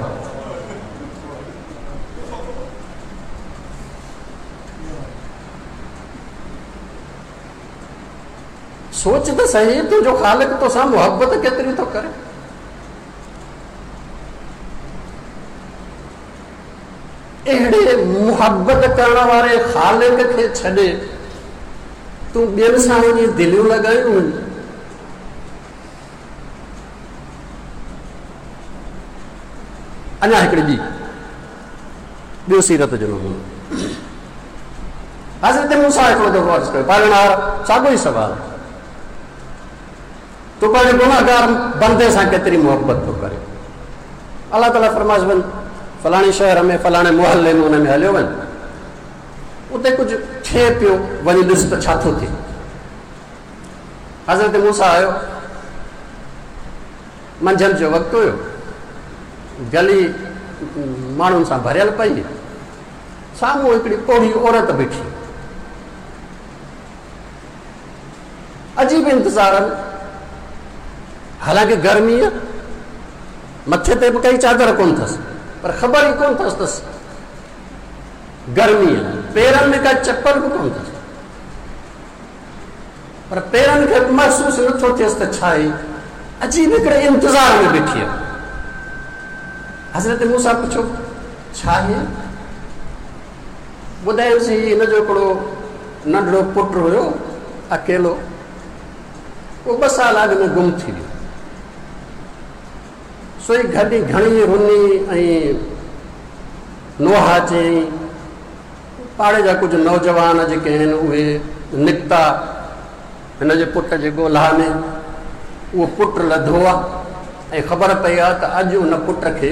सोच त सही, तुंहिंजो ख़ालिक तोसां मुहबत केतिरी थो करे। अहिड़े मुहबत करण वारे ख़ालिक खे छॾे तूं ॿियनि सां वञी दिलियूं लॻायूं। अञा हिकिड़ी ॿी ॿियो सीरत जो नमूनो, हज़रत मूसा हिकिड़ो दफ़ो अर्ज़ु कयो, पालणहार साॻियो ई सवाल, तूं पंहिंजे गुनाहगार बंदे सां केतिरी मुहबत थो करे। अलाह ताला फरमाइश वञ फलाणे शहर में फलाणे मोहल्ले में उन में हलियो वञ, उते कुझु थिए पियो, वञी ॾिस त छा थो थिए। हज़रत मूसा आयो, मंझंदि जो वक़्तु हुयो, गली माण्हुनि सां भरियल पई, साम्हूं हिकिड़ी पोढ़ी औरत बीठी। عجيب انتظار ۾، حالانڪه گرمي آهي، مٿي تي به ڪائي چادر ڪونه اٿس، پر خبر ئي ڪونه اٿس اٿس گرمي آهي، پيرن ۾ ڪا چپل به ڪونه اٿس، پر پيرن کي به محسوس نٿو ٿئيس ته ڇا آهي. عجيب هڪڙي انتظار ۾ ويٺي آهي. حضرت موسيٰ پڇيو ڇا آهي؟ ٻڌايوس هي هن جو هڪڙو ننڍڙو پٽ هيو اڪيلو، اهو ٻه سال اڳ ۾ گم ٿي ويو. سو هي گهڙي گهڻي رني ۽ نوحا چيائين. پاڙي جا ڪجهه نوجوان جيڪي آهن اهي نڪتا هن جي پٽ جي ڳولها ۾. اهو پٽ لڌو آهي ۽ خبر پئي آهي ته اڄ ان پٽ کي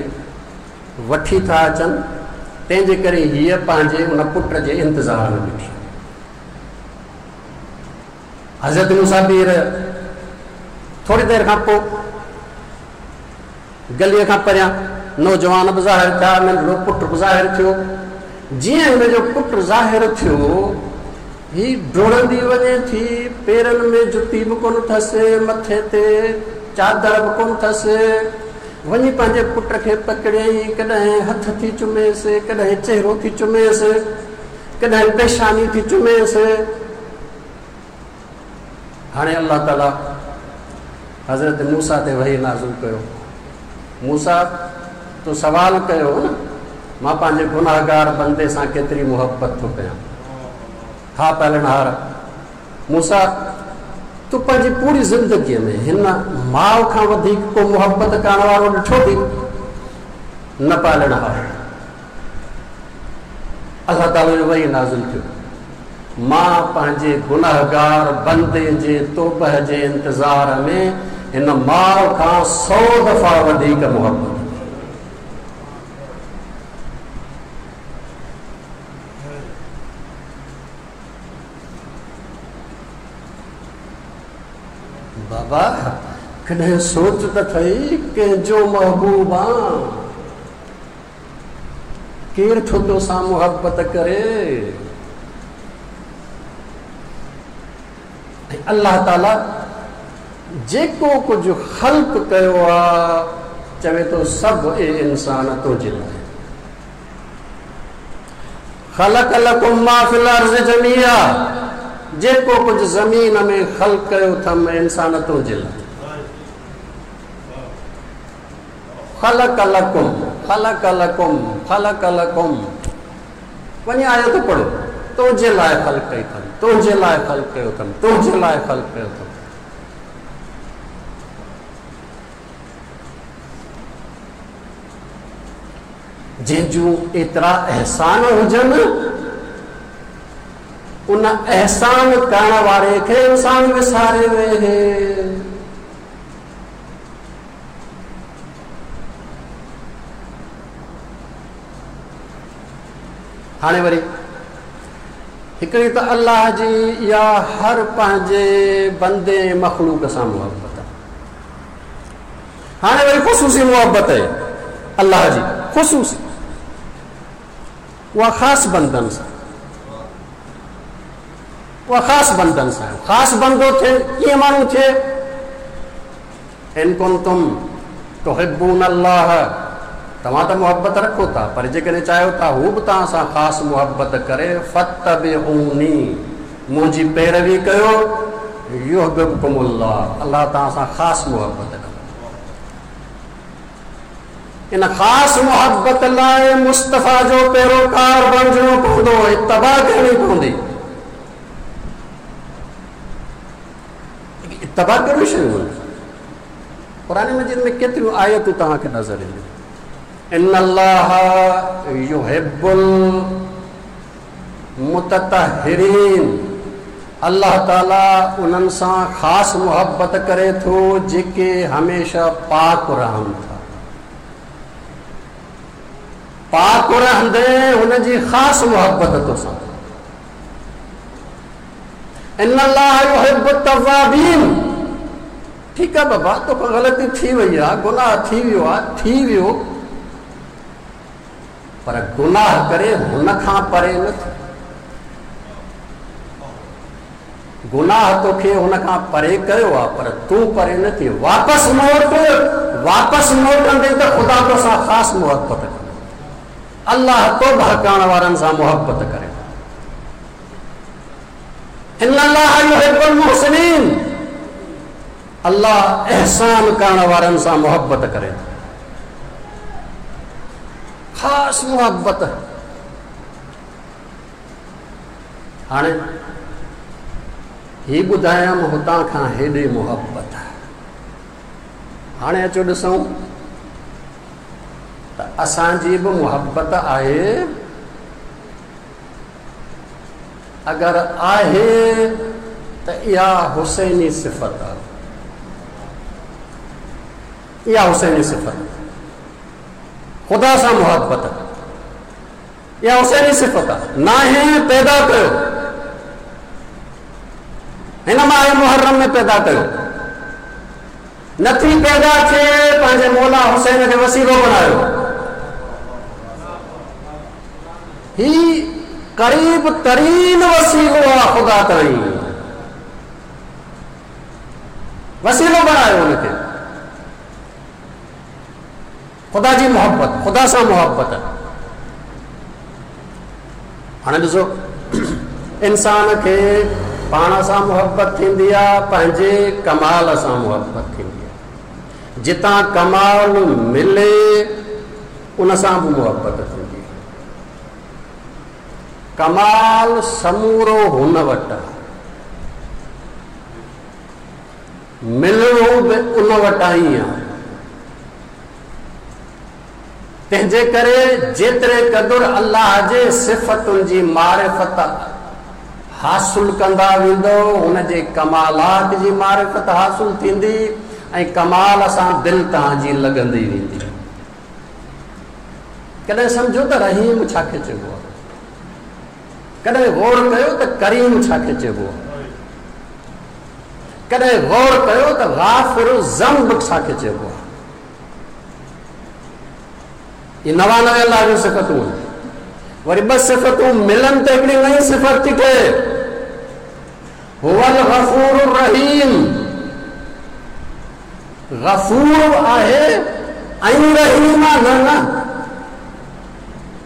وٺي ٿا اچن، تنهن جي ڪري هيء پنهنجي ان پٽ جي انتظار ۾ بيٺي. حضرت موسيٰ بيهي رهيا. ٿوري دير کان پوءِ گليءَ کان پريان نوجوان به ظاهر ٿيا، ننڍڙو پٽ به ظاهر ٿيو. جيئن هن جو پٽ ظاهر ٿيو، هي ڊوڙندي وڃي ٿي، پيرن ۾ جتي به ڪونه اٿس، مٿي تي چادر به ڪونه اٿس، وڃي پنهنجي پٽ کي پڪڙيائين. ڪڏهن هٿ ٿي چميس، ڪڏهن چهرو ٿي چميس، ڪڏهن پيشاني ٿي چميس. هاڻي الله تعاليٰ حضرت موسيٰ تي وحي نازل ڪيو. موسيٰ تو سوال ڪيو هو نه، مان پنهنجي گناهگار بندي سان ڪيتري محبت ٿو ڪيان. ها پالڻهار موسيٰ، تون پنهنجي پوري زندگيءَ ۾ هن ماءُ کان وڌيڪ ڪو محبت ڪرڻ وارو ڏٺو اٿئي؟ نه پالڻهار. الله تعاليٰ جو وحي نازل ٿيو، مان پنهنجي گناهگار بندي جي توبه جي انتظار ۾ هن ماءُ کان سؤ دفعا وڌيڪ محبت. بابا ڪڏهن سوچ ته اٿئي ڪنهن جو محبوب آ، ڪير ٿو تو سان محبت ڪري؟ ۽ الله تعاليٰ جيڪو ڪجهه خلق ڪيو آهي چوي ٿو سڀ اي انسان تنهنجي لاءِ. خلق لڪم ما في الارض جميعا، جيڪو ڪجهه زمين ۾ خلق ڪيو اٿم انسان تنهنجي لاءِ. خلق لڪم خلق لڪم خلق لڪم، وڃي آيت پڙهو، تنهنجي لاءِ خلق ڪئي اٿم، تنهنجي لاءِ خلق ڪيو اٿم، تنهنجي لاءِ خلق ڪيو اٿم. جنهن جون ايترا احسان هجن، ان احسان ڪرڻ واري کي انسان وساري ويهي. هاڻي وري هڪڙي ته الله جي يا هر پنهنجي بندي مخلوق سان محبت آهي. هاڻي وري خصوصي محبت آهي الله جي، خصوصي اها خاص بندن سان، اها خاص بندن سان. خاص بندو ٿئي ڪيئن ماڻهو ٿئي؟ ان ڪنتم تحبون الله، توهان ته محبت رکو ٿا، پر جيڪڏهن چاهيو ٿا هو به توهان سان خاص محبت ڪري، فتبعوني، منهنجي پيروي ڪيو، يحببڪم الله، الله توهان سان خاص محبت ڪندو. ان خاص محبت لاءِ مصطفيٰ جو پيروڪار بڻجڻو پوندو، اتباع ڪرڻي پوندي. اتباع ڪهڙيون شيون آهن؟ قرآن مجيد ۾ ڪيتريون آيتون توهان کي نظر اينديون. ان الله يحب المتطهرين، الله تعاليٰ انهن سان خاص محبت ڪري ٿو جيڪي هميشه پاڪ رهن ٿا. پاڪ رهندي هن جي خاص محبت توسان. ان الله يحب التوابين. ٺيڪ آهي بابا، توکان غلطي ٿي وئي آهي، گناهه ٿي ويو آهي، ٿي ويو، پر گناهه ڪري هن کان پري نه ٿي. गुनाह तोखे हुन खां परे कयो आहे, पर तूं परे न थी, वापसि मोट। वापसि मोटंदे त ख़ुदा तोसां ख़ासि मुहबत कंदो। अल्लाह तौबा करण वारनि सां मुहबत करे। इन्नल्लाह युहिब्बुल मुहसिनीन, अल्लाह एहसान करण वारनि सां मुहबत करे थो, ख़ासि मुहबत। हाणे ही ॿुधायमि हुतां खां हेॾे मुहबत। हाणे अचो ॾिसूं त असांजी बि मुहबत आहे। अगरि आहे त इहा हुसैनी सिफ़त आहे, इहा हुसैनी सिफ़त, ख़ुदा सां मुहबत, इहा हुसैनी सिफ़त आहे। नाहे पैदा कयो, हिन माह मुहर्रम में पैदा कयो, नथी पैदा थिए पंहिंजे मौला हुसैन खे वसीलो बणायो। ही क़रीब तरीन वसीलो आहे ख़ुदा ताईं, वसीलो बणायो हुनखे। ख़ुदा जी मुहबत, ख़ुदा सां मुहबत। हाणे ॾिसो, इंसान खे पाण सां मुहबत थींदी आहे, पंहिंजे कमाल सां मुहबत थींदी आहे। जितां कमाल मिले उन सां बि मुहबत थींदी आहे। कमाल समूरो हुन वटि आहे, मिलणो बि उन वटां ई आहे। तंहिंजे करे जेतिरे क़दुरु अल्लाह जे सिफ़तुनि जी मारिफ़त हासिल कंदा वेंदो, हुनजे कमालात जी मारिफ़त हासिल थींदी ऐं कमाल सां दिलि तव्हांजी लॻंदी वेंदी। कॾहिं सम्झो त रहीम छाखे चइबो आहे, कॾहिं गौर कयो त करीम छाखे चइबो आहे, कॾहिं गौर कयो त गाफ़िर ज़ंब छाखे चइबो आहे। इहे नवानवे अल्लाह जूं सिफ़तूं आहिनि। वरी ॿ सिफ़तूं मिलनि त हिकिड़ी नई सिफ़त थी ठहे, हुवल गफ़ूर रहीम। गफ़ूर आहे ऐं रहीम आहे, न न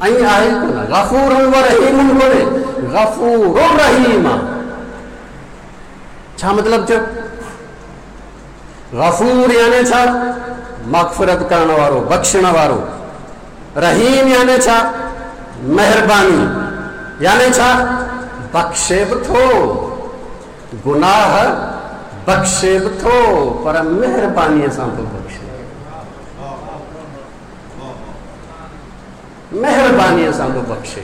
ऐं आहे कोन, गफ़ूर व रहीम कोन्हे, गफ़ूर रहीम आहे। छा मतिलबु थियो? गफ़ूर यानी छा? मग़फ़िरत करण वारो, बख़्शण वारो। रहीम यानी छा? महिरबानी, यानी छा? बख़्शे बि थो, गुनाह बख़्शे बि थो, पर महिरबानीअ सां थो बख़्शे, महिरबानीअ सां थो बख़्शे।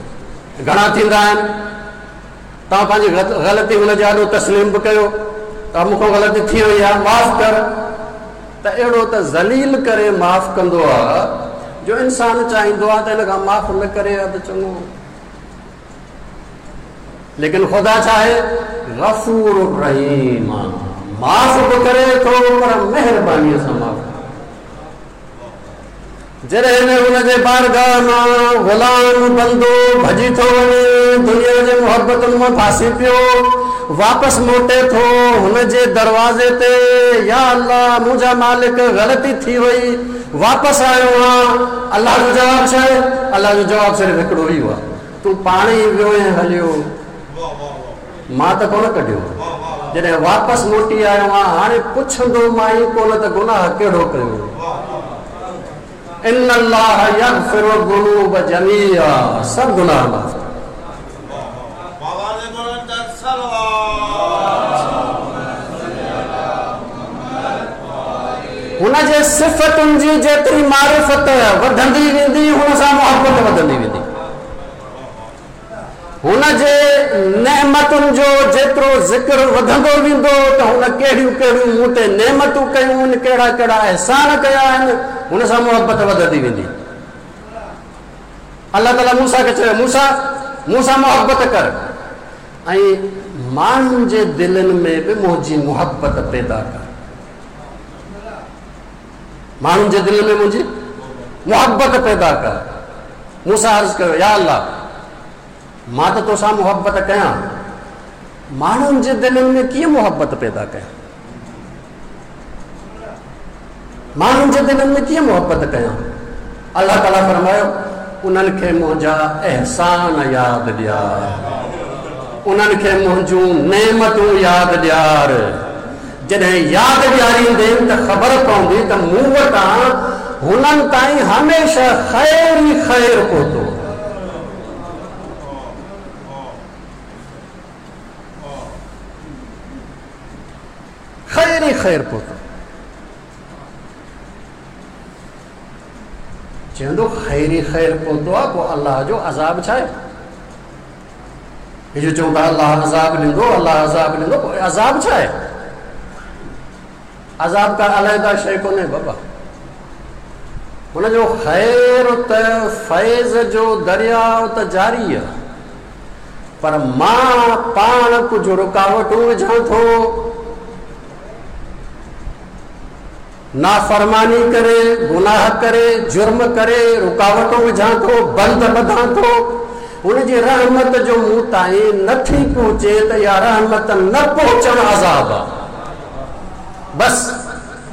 घणा थींदा आहिनि, तव्हां पंहिंजी ग़लती हुनजे आॾो तस्लीम बि कयो त मूंखां ग़लती थी वई आहे, माफ़ कर, त अहिड़ो त ज़लील करे माफ़ कंदो आहे जो इंसान चाहींदो आहे त हिन खां माफ़ न करे हा त चङो। लेकिन ख़ुदा छा आहे? गफ़ूर रहीम, माफ़ बि करे थो पर महिरबानीअ सां माफ़। जॾहिं हुनजे बारगाह मां ग़ुलाम बंदो भॼी थो वञे, दुनिया जे मुहबतुनि मां फासी पियो, वापसि मोटे थो हुनजे दरवाज़े ते, या अल्लाह मुंहिंजा मालिक ग़लती थी वई, वापसि आयो आहियां। अल्लाह जो जवाबु छा आहे? अल्लाह जो जवाबु सिर्फ़ु हिकिड़ो ई आहे, तूं पाण ई वियो ऐं हलियो, मां त कोन कढियो। जॾहिं वापसि मोटी आयो आहियां, हाणे पुछंदो मां ई कोन त गुनाह कहिड़ो कयो। इन्नल्लाह यग़फ़िरु ज़ुनूब जमीआ, सभु गुनाह माफ़। हुनजे सिफ़तुनि जी जेतिरी मारिफ़त वधंदी वेंदी, हुन सां मुहबत वधंदी वेंदी। हुनजे नेमतुनि जो जेतिरो ज़िक्र वधंदो वेंदो त हुन कहिड़ियूं कहिड़ियूं मूं ते नेमतूं कयूं आहिनि, कहिड़ा कहिड़ा अहसान कया आहिनि, हुन सां मुहबत वधंदी वेंदी। अल्लाह ताला मूसा खे चयो, मूसा मूंसां मुहबत कर ऐं माण्हुनि जे दिलनि में बि मुंहिंजी मुहबत पैदा कर। माण्हुनि जे दिलि में मुंहिंजी मुहबत पैदा कर। मूसा अर्ज़ कयो, या अल्लाह मां त तोसां मुहबत कयां, माण्हुनि जे दिलनि में कीअं मुहबत पैदा कयां, माण्हुनि जे दिलनि में कीअं मुहबत कयां? अलाह ताला फरमायो उन्हनि खे मुंहिंजा अहसान यादि ॾियार, उन्हनि खे मुंहिंजूं नेमतूं यादि ॾियार। जॾहिं यादि ॾियारींदे त ख़बर पवंदी त मूं वटां हुननि ताईं हमेशह ख़ैर ई ख़ैर पहुतो। ख़ैर ई ख़ैर पहुतो। चवंदो ख़ैर ई ख़ैर पहुतो आहे, पोइ अलाह जो अज़ाब छा आहे? हे जो चऊं था अलाह अज़ाब ॾींदो, अलाह अज़ाब ॾींदो, पोइ अज़ाब छा आहे? अज़ाब का अलहदा शइ कोन्हे बाबा। हुनजो ख़ैर त फैज़ जो दरियाव त जारी आहे, पर मां पाण कुझु रुकावटूं विझां थो, नाफ़रमानी करे, गुनाह करे, जुर्म करे, रुकावटूं विझां थो, बंद ॿधां थो। हुनजी रहमत जो मूं ताईं नथी पहुचे त इहा रहमत न पहुचणु अज़ाब आहे, बसि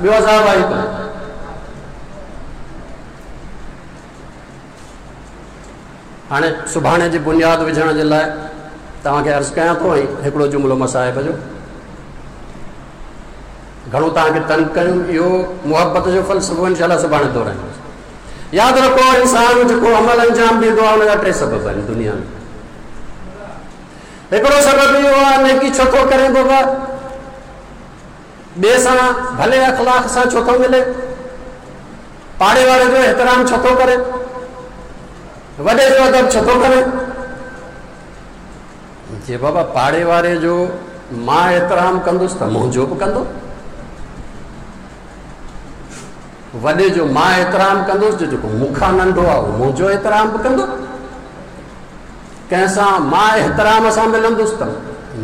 ॿियो अज़ाब आहे कोन। हाणे सुभाणे जी बुनियाद विझण जे लाइ तव्हांखे अर्ज़ु कयां थो ऐं हिकिड़ो जुमिलो मसाहिब जो घणो तव्हांखे तंग कयूं, इहो मुहबत जो फ़लसफ़ो इंशाअल्लाह सुभाणे दोहराईंदुसि। यादि रखो, इंसान जेको अमल अंजाम ॾींदो आहे हुनजा टे सबब आहिनि दुनिया में। हिकिड़ो सबबु इहो आहे नेकी छो थो करे बाबा, ॿिए सां भले अख़लाक़ सां छो थो मिले, पाड़े वारे जो एतिराम छो थो करे, वॾे जो अदब छो थो करे। जे बाबा पाड़े वारे जो मां एतिराम कंदुसि त मुंहिंजो बि कंदो, वॾे जो मां एतिराम कंदुसि जो जेको मूंखां नंढो आहे उहो मुंहिंजो एतिराम बि कंदो, कंहिंसां मां एतिराम सां मिलंदुसि त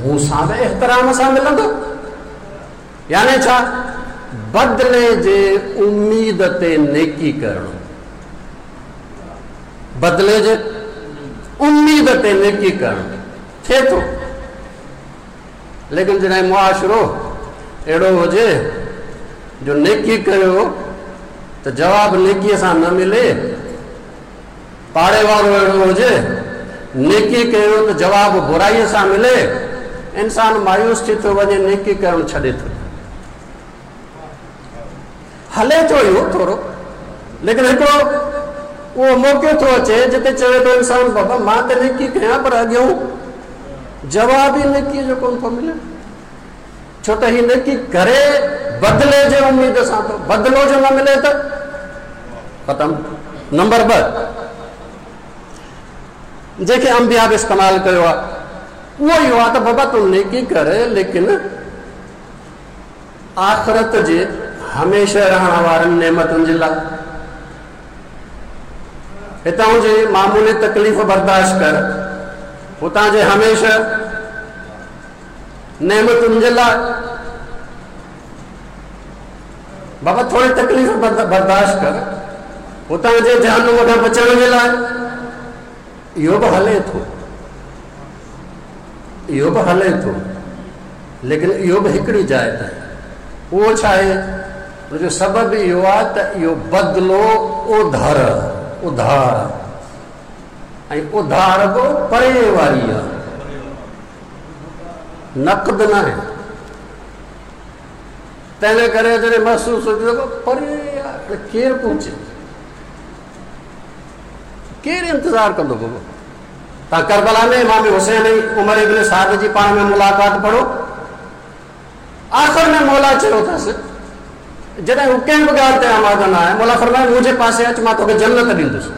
मूंसां बि एतिराम सां मिलंदो। यानी छा? बदिले जे उम्मीद ते नेकी करणु, बदिले जे उम्मीद ते नेकी करणु थिए थो। लेकिन जॾहिं मुआशिरो अहिड़ो हुजे जो नेकी कयो त जवाब नेकीअ सां न मिले, पाड़े वारो अहिड़ो हुजे नेकी कयो त जवाब बुराईअ सां मिले, इंसान मायूस थी थो वञे, नेकी करणु छॾे थो। हले थो इहो थोरो, लेकिन हिकिड़ो उहो मौक़ो थो अचे जिते चवे थो इंसान बाबा मां त नेकी कयां पर अॻियों जवाब ई नेकीअ जो कोन थो मिले, छो त हीअ नेकी करे बदिले जे उम्मीद सां थो, बदिलो जो न मिले त ख़तमु। नंबर ॿ, जंहिंखे अंबिया बि इस्तेमालु कयो आहे उहो इहो आहे त बाबा तूं नेकी कर, लेकिन आख़िरत जे हमेशह रहण वारनि नेमतुनि जे लाइ हितां जी मामूली तकलीफ़ बर्दाश्त कर, हुतां जे हमेशह नेमतुनि जे लाइ बाबा थोरी तकलीफ़ बर्दाश्त कर, हुतां जे जहन्नुम खां बचण जे लाइ। इहो बि हले थो, इहो बि हले थो, लेकिन इहो बि हिकिड़ी जाइ ताईं। उहो छा आहे? हुनजो सबबु इहो आहे त इहो बदिलो उधार उधार ऐं उधार बि परे वारी आहे, नक़द न आहे। तंहिंजे करे जॾहिं महसूसु थिए परे आहे, केरु पहुचे, केरु इंतज़ारु कंदो बाबा? तव्हां करबला में इमाम हुसैन ऐं उमर इब्न साद जी पाण में मुलाक़ात पढ़ो, आख़िर में मौला चयो अथसि, जॾहिं हू कंहिं बि ॻाल्हि ते आमादा न आहे, मौला फरमायो मुंहिंजे पासे अच, मां तोखे जन्नत ॾींदुसि।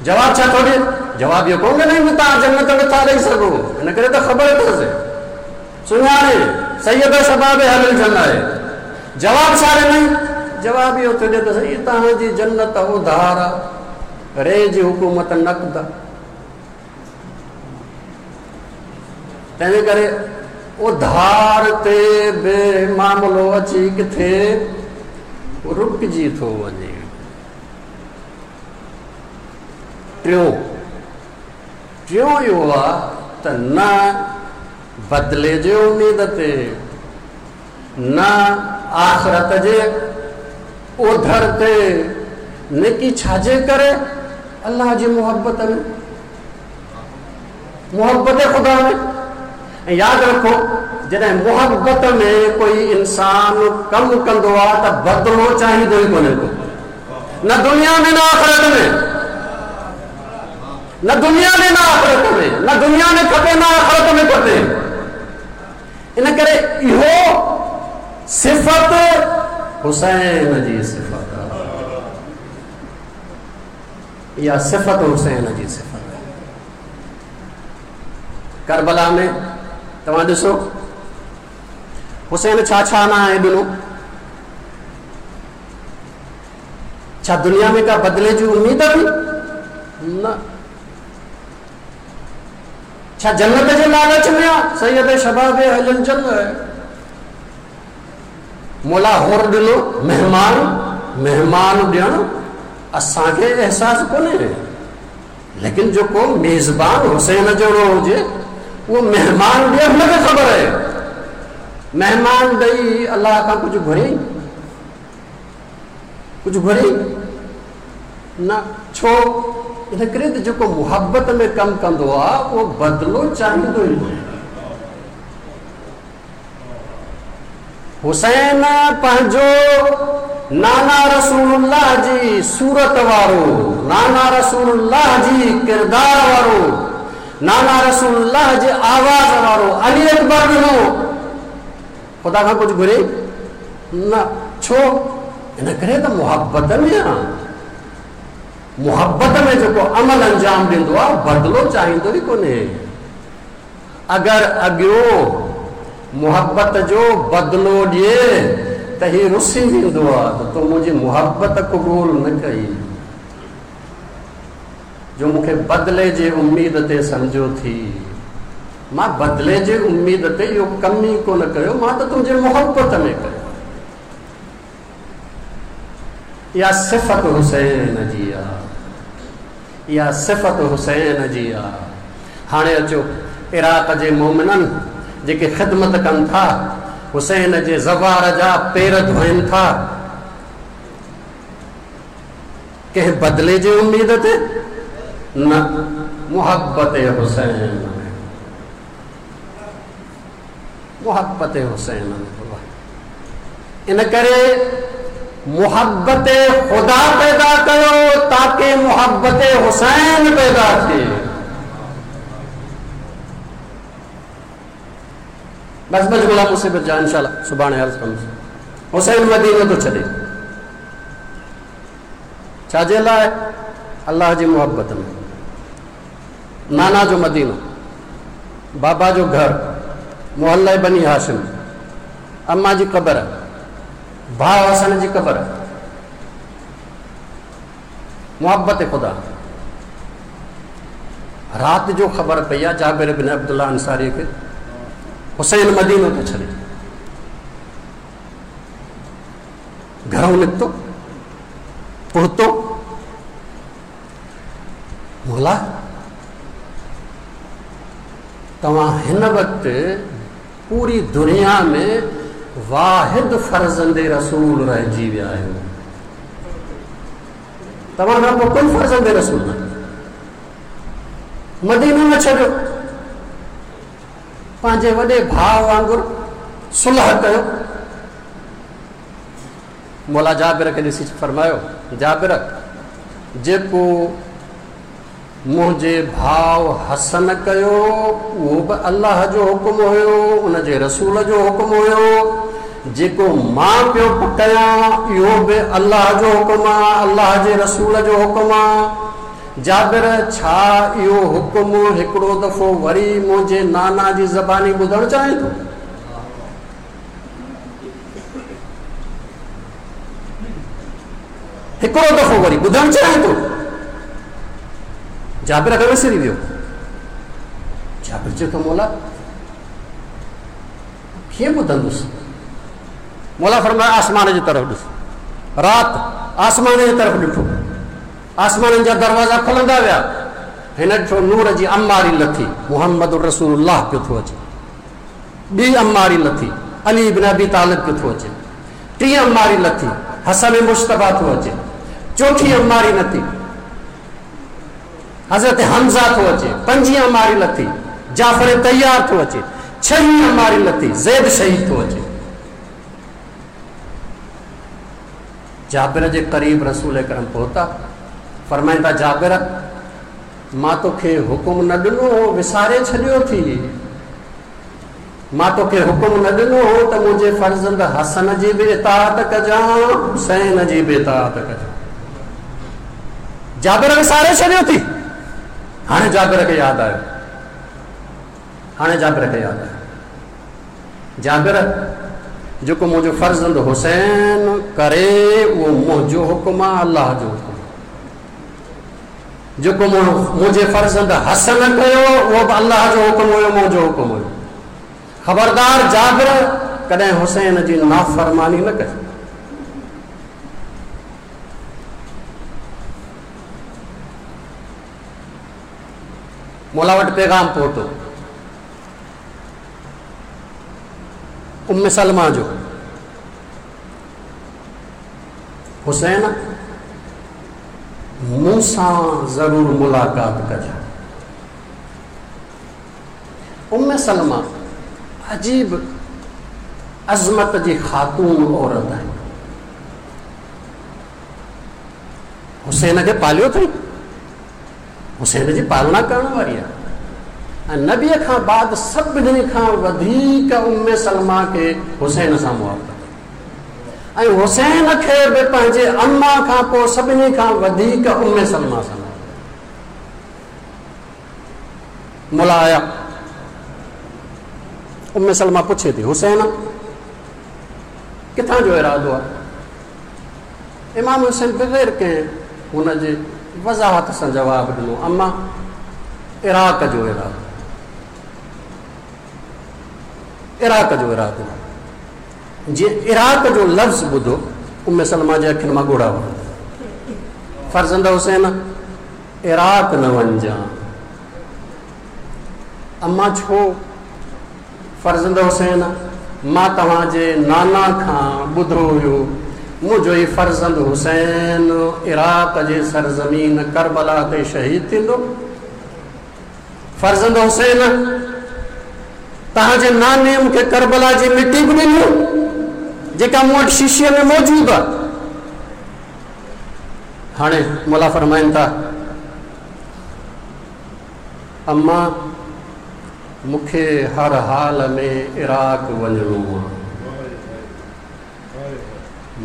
जवाब छा थो ॾिए? जवाब इहो कोन ॾिनई तव्हां जन्नत नथा ॾेई सघो, हिन करे त ख़बर अथसि, सुञाणे सैयद शबाब अहलिल जन्नत आहे। जवाब छा ॾिनई? जवाब इहो थो ॾिए त सही तव्हांजी जन्नत उधार आहे, रे जी हुकूमत नक़द आहे। तंहिंजे करे उधार ते बि मामिलो अची किथे रुकिजी थो वञे। टियों टियों इहो आहे त न बदिले जे उमेद ते, न आख़िरत जे ओधर ते, नेकी छाजे करे अल्लाह जी मुहब्बत में, मुहब्बत ख़ुदा में। ऐं यादि रखो, जॾहिं मुहब्बत में कोई इंसान कमु कंदो आहे त बदिलो चाहींदो ई कोन्हे को, न दुनिया में न आख़िरत में, न दुनिया में न आख़िरत में, न दुनिया में खपे न आख़िरत में खपे। इन करे इहो सिफ़त हुसैन जी सिफ़त आहे, इहा सिफ़त हुसैन जी सिफ़त आहे। करबला में तव्हां ॾिसो हुसैन छा छा न आहे ॾिनो। छा दुनिया में का बदिले जी उम्मीद हुई? न। छा जन्नत जे लालच में आहे? सैयद शबाब अहल जन्नत मौला होर ॾिनो महिमान, महिमान ॾियणु असांखे अहसासु कोन्हे, लेकिन जेको मेज़बान हुसैन जहिड़ो हुजे उहो महिमान ॾिए, हुनखे ख़बर आहे। महिमान ॾेई अल्लाह खां कुझु घुरे, कुझु घुरे न। छो? इन करे त जेको मुहब्बत में कमु कंदो आहे उहो बदिलो चाहींदो ई कोन्हे। हुसैन पंहिंजो नाना रसूलुल्लाह जी सूरत वारो, नाना रसूलुल्लाह जी किरदार वारो, नाना रसूलुल्लाह जे आवाज़ वारो अली अकबर ॾिनो, ख़ुदा खां कुझु घुरे न। छो? इन करे त मुहब्बत में आहे। मुहब्बत में जेको अमल अंजाम ॾींदो आहे बदिलो चाहींदो ई कोन्हे। अगरि अॻियों मुहब्बत जो बदिलो ॾिए त ही रुसी वेंदो आहे त तो मुंहिंजी मुहब्बत क़बूल न कई, जो मूंखे बदिले जे उम्मीद ते सम्झो थी। मां बदिले जे उम्मीद ते इहो कमु ई कोन कयो, मां त तुंहिंजे मुहब्बत में कयो। इहा सिफ़त हुसैन जी आहे, इहा सिफ़त हुसैन जी आहे। हाणे अचो इराक़ जे मोमिननि जेके ख़िदमत कनि था, हुसैन जे ज़वार जा पेर धोइनि था, कंहिं बदिले जे उम्मीद ते न, मुहब्बत हुसैन में, मुहब्बत हुसैन में। इन करे मुहब्बत ख़ुदा पैदा कयो ताकि मुहब्बत हुसैन पैदा थिए। बस बस गुलाम मुसीबत जा इंशाअल्लाह सुभाणे अर्ज़ कंदुसि। हुसैन मदीनो थो छॾे, छाजे लाइ? अल्लाह जी मुहब्बत में। नाना जो मदीनो, बाबा जो घर, मोहल्ला बनी हाशिम, अम्मा जी क़बर, भाउ हसन जी क़बर, मुहब्बत ख़ुदा। राति जो ख़बर पई आहे जाबिर बिन अब्दुल्ला अंसारी खे, हुसैन मदीनो थो छॾे, घरों निकितो, पहुतो, मौला तव्हां हिन वक़्तु पूरी दुनिया में वाहिद फर्ज़ंदे रसूल रहिजी विया आहियो, तव्हां खां पोइ कोई फर्ज़ंदे रसूल न, मदीनो न छॾियो, पंहिंजे वॾे भाउ वांगुरु सुलह कयो। मौला जाबिर खे ॾिसी फरमायो, जाबिर जेको मुंहिंजे भाउ हसन कयो उहो बि अल्लाह जो हुकुम हुयो, उनजे रसूल जो हुकुम हुयो। जेको मां पियो कयां इहो बि अल्लाह जो हुकुम आहे, अल्लाह जे रसूल जो हुकुम आहे। जाबिर छा इहो हुकुम हिकिड़ो दफ़ो वरी मुंहिंजे नाना जी ज़बानी ॿुधणु चाहे थो? हिकिड़ो दफ़ो वरी ॿुधणु चाहे थो? जाबिर खे विसरी वियो। जाबिर चए थो मौला कीअं ॿुधंदुसि? मौला फरमायो आसमान जी तरफ़ ॾिस। राति आसमान जी तरफ़ ॾिठो, आसमाननि जा दरवाज़ा खुलंदा विया, हिन ॾिठो नूर जी अम्मारी लथी, मुहम्मद रसूलुल्लाह पियो थो अचे। ॿी अम्मारी लथी, अली इब्न अबी तालिब पियो थो अचे। टीं अम्मारी लथी, हसन मुश्तबा थो अचे। चौथी अम्मारी लथी, हज़रत हमज़ा थो अचे। पंजी अम्मारी लथी, जाफ़र तैयार थो अचे। छही अम्मारी लथी, ज़ैद शहीद थो अचे। जाबिर जे क़रीब रसूल करम पहुता, फरमाइनि था जाबिर मां तोखे हुकुम न ॾिनो हो, विसारे छॾियो थी। मां तोखे हुकुम न ॾिनो हो त मुंहिंजे फर्ज़ंद हसन जी बि इताअत कजां, हुसैन जी बि इताअत कजां। जाबिर विसारे छॾियो थी। हाणे जाबिर खे यादि आयो, हाणे जाबिर खे यादि आयो, जाबिर जेको मुंहिंजो फर्ज़ंद हुसैन करे उहो मुंहिंजो हुकुम आहे, अलाह जो हुकुम। जेको मुंहिंजे फर्ज़ंद हसन कयो उहो बि अलाह जो हुकुम हुयो, मुंहिंजो हुकुम हुयो। ख़बरदार जाबिर, कॾहिं हुसैन जी नाफ़रमानी न कजो। मौला वटि पैगाम पहुतो उम्म सलमा जो, हुसैन मूं सां ज़रूर मुलाक़ात कजां। उम्म सलमा अजीब अज़मत जी ख़ातून औरत आहे। हुसैन खे पालियो अथई, हुसैन जी पालना करण वारी आहे। ऐं नबीअ खां बाद सभिनी खां वधीक उम्म सलमा खे हुसैन सां मुहबत ऐं हुसैन खे बि पंहिंजे अम्मा खां पोइ सभिनी खां वधीक उम्म सलमा सां मुला आया। उम्म सलमा पुछे थी, हुसैन किथां जो इरादो आहे? इमाम हुसैन बग़ैर कंहिं हुनजे वज़ाहत सां जवाबु ॾिनो, अम्मा इराक़ जो इरादो, इराक़ जो इरादो। जीअं इराक़ जो लफ़्ज़ ॿुधो, उम्म सलमा जे अखियुनि मां ॻोढ़ा वहनि। फर्ज़ंद हुसैन इराक़ न वञिजां। अम्मा छो? फर्ज़ंद हुसैन मां तव्हांजे नाना खां ॿुधो हुयो, मुंहिंजो ई फर्ज़ंद हुसैन इराक़ जे सरज़मीन करबला ते शहीद थींदो। फर्ज़ंद हुसैन तव्हांजे नाने मूंखे करबला जी मिटी बि ॾिनी, जेका मूं वटि शीशे में मौजूदु आहे। हाणे मौला फरमाइनि था, अम्मा मूंखे हर हाल में इराक़ वञिणो आहे,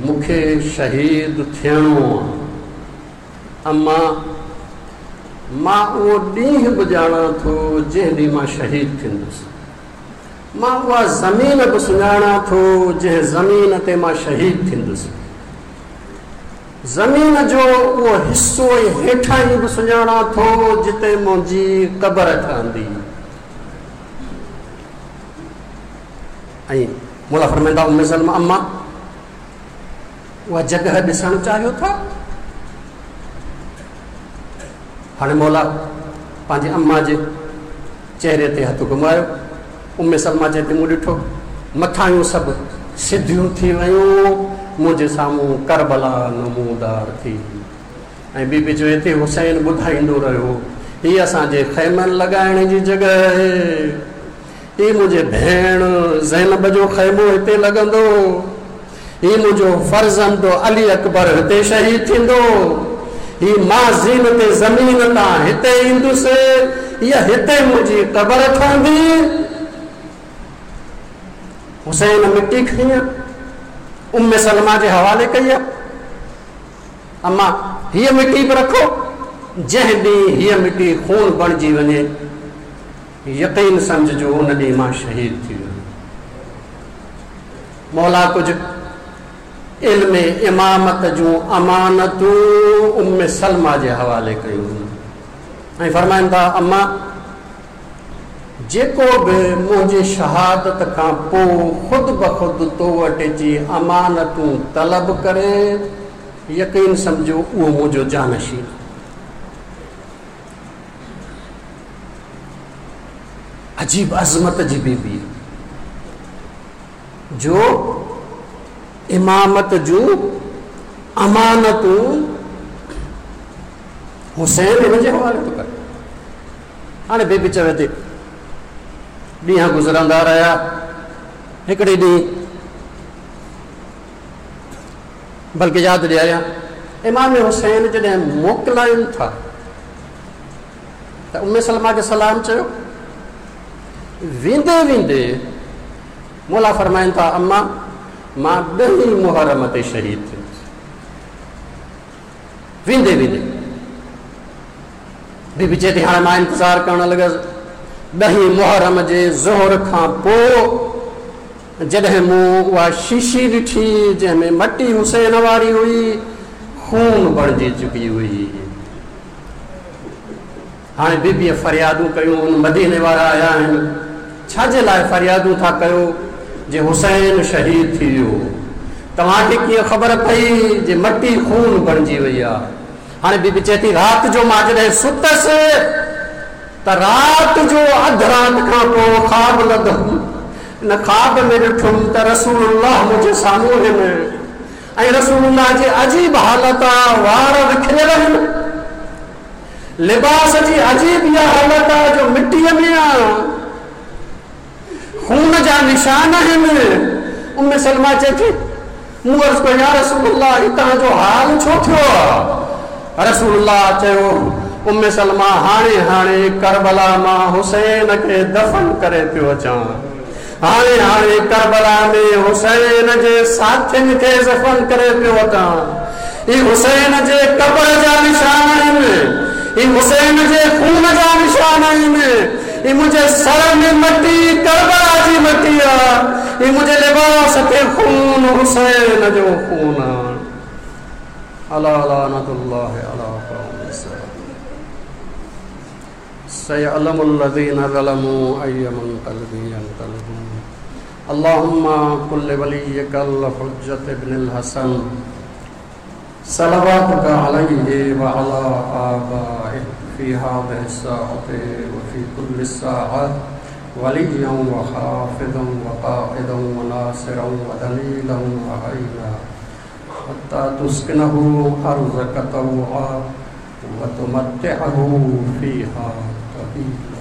मूंखे शहीद थियणो आहे। अम्मा मां उहो ॾींहुं बि ॼाणां थो जंहिं ॾींहुं मां शहीद थींदुसि। मां उहा ज़मीन बि सुञाणां थो जंहिं ज़मीन ते मां शहीद थींदुसि। ज़मीन जो उहो हिसो ऐं हेठां ई बि सुञाणां थो जिते मुंहिंजी क़बर ठहंदी। ऐं मौला फरमाईंदा उम्म सलमा, अम्मा उहा जॻह ॾिसणु चाहियो था? हाणे मौला पंहिंजे अम्मा जे चेहरे ते हथु घुमायो। उम्म सलमा चए थी, मूं ॾिठो मथायूं सभु सिधियूं थी वयूं, मुंहिंजे साम्हूं करबला नमूदार थी। ऐं बीबी चए थी, हुसैन ॿुधाईंदो रहियो, हीअ असांजे ख़ैमनि लॻाइण जी जॻह आहे, हीअ मुंहिंजे भेण ज़ैनब जो ख़ैमो हिते लॻंदो, हीअ मुंहिंजो फर्ज़ंद अली अकबर हिते शहीद थींदो, हीअ मां ज़ीनत ज़मीन तां हिते ईंदुसि, हीअ हिते मुंहिंजी क़बर ठहंदी। हुसैन मिटी खणी उम्म सलमा जे हवाले कई आहे, अम्मा हीअ मिटी बि रखो, जंहिं ॾींहुं हीअ मिटी खून बणिजी वञे, यकीन सम्झिजो उन ॾींहुं मां शहीद थी वियो। मौला कुझु इल्म इमामत जूं अमानतूं उम्म सलमा जे हवाले कयूं ऐं फरमाइनि था, अम्मा जेको बि मुंहिंजी शहादत खां पोइ ख़ुदि ब ख़ुदि तो वटि अची अमानतूं तलब करे, यकीन सम्झो उहो मुंहिंजो जानशीन। अजीब अज़मत जी बीबी जो इमामत जूं अमानतूं हुसैन हिन जे हवाले थो करे। हाणे बीबी चवे थी, ॾींहं गुज़रंदा रहिया, हिकिड़े ॾींहुं बल्कि यादि ॾियारियां, इमाम हुसैन जॾहिं मोकिलाइनि था त उम्मे सलमा खे सलाम चयो। वेंदे वेंदे मौला फरमाइनि था, अम्मा मां ॾहीं मुहर्रम ते शहीद थियसि। वेंदे वेंदे बीबी चए थी, हाणे मां इंतज़ारु करण लॻुसि। ॾहीं मुहर्रम जे ज़ोहर खां पोइ जॾहिं मूं उहा शीशी ॾिठी जंहिंमें मटी हुसैन वारी हुई, खून बणिजी चुकी हुई। हाणे बीबीअ फरियादूं कयूं, मदीने वारा आया आहिनि, छाजे लाइ फरियादूं था कयो जे हुसैन शहीद थी वियो? तव्हांखे कीअं ख़बर पई जे मटी खून बणिजी वई आहे? हाणे बीबी चए थी, राति जो मां जॾहिं सुतसि त राति जो अधु राति खां पोइ ख़्वाब लधुमि। इन ख़्वाब में ॾिठुमि त रसूलुल्लाह मुंहिंजे साम्हूं आहिनि ऐं रसूलुल्लाह जी अजीब हालत आहे, वार विखरियल आहिनि, लिबास जी अजीब इहा हालत आहे जो मिटीअ में आहे, खून जा निशान आहिनि। उम्मे सलमा चए थी, मूं अर्ज़ु कयो, या रसूलुल्लाह, हीउ तव्हांजो हाल छो थियो आहे? रसूलुल्लाह चयो, उम्मे सलमा, हाणे हाणे करबला मां हुसैन खे दफ़न करे पियो अचां। हाणे हाणे करबला में हुसैन जे साथियुनि खे दफ़न करे पियो अचां। ही हुसैन जे कब्र जा निशान आहिनि, ही हुसैन जे खून जा निशान आहिनि, ही मुंहिंजे सर में मटी करबला जी मटी आहे, ही मुंहिंजे लिबास ते खून हुसैन जो खून आहे। अला लानतुल्लाह अला क़ौम सयअलमुल्लज़ीना ज़लमू अय्य मुनक़लबिन यनक़लिबून। अल्लाहुम्मा कुल वलिय्यकल हुज्जत इब्नुल हसन सलवातुका अलैहि व अला आबाइहि फ़ी हाज़िहि स्साअति व फ़ी कुल्लि स्साअत वलिय्यन व हाफ़िज़न व क़ाइदन व नासिरन व दलीलन व अईना हत्ता तुस्किनहु अर्ज़क तौआ व तुमत्तिअहु फ़ीहा तवीला।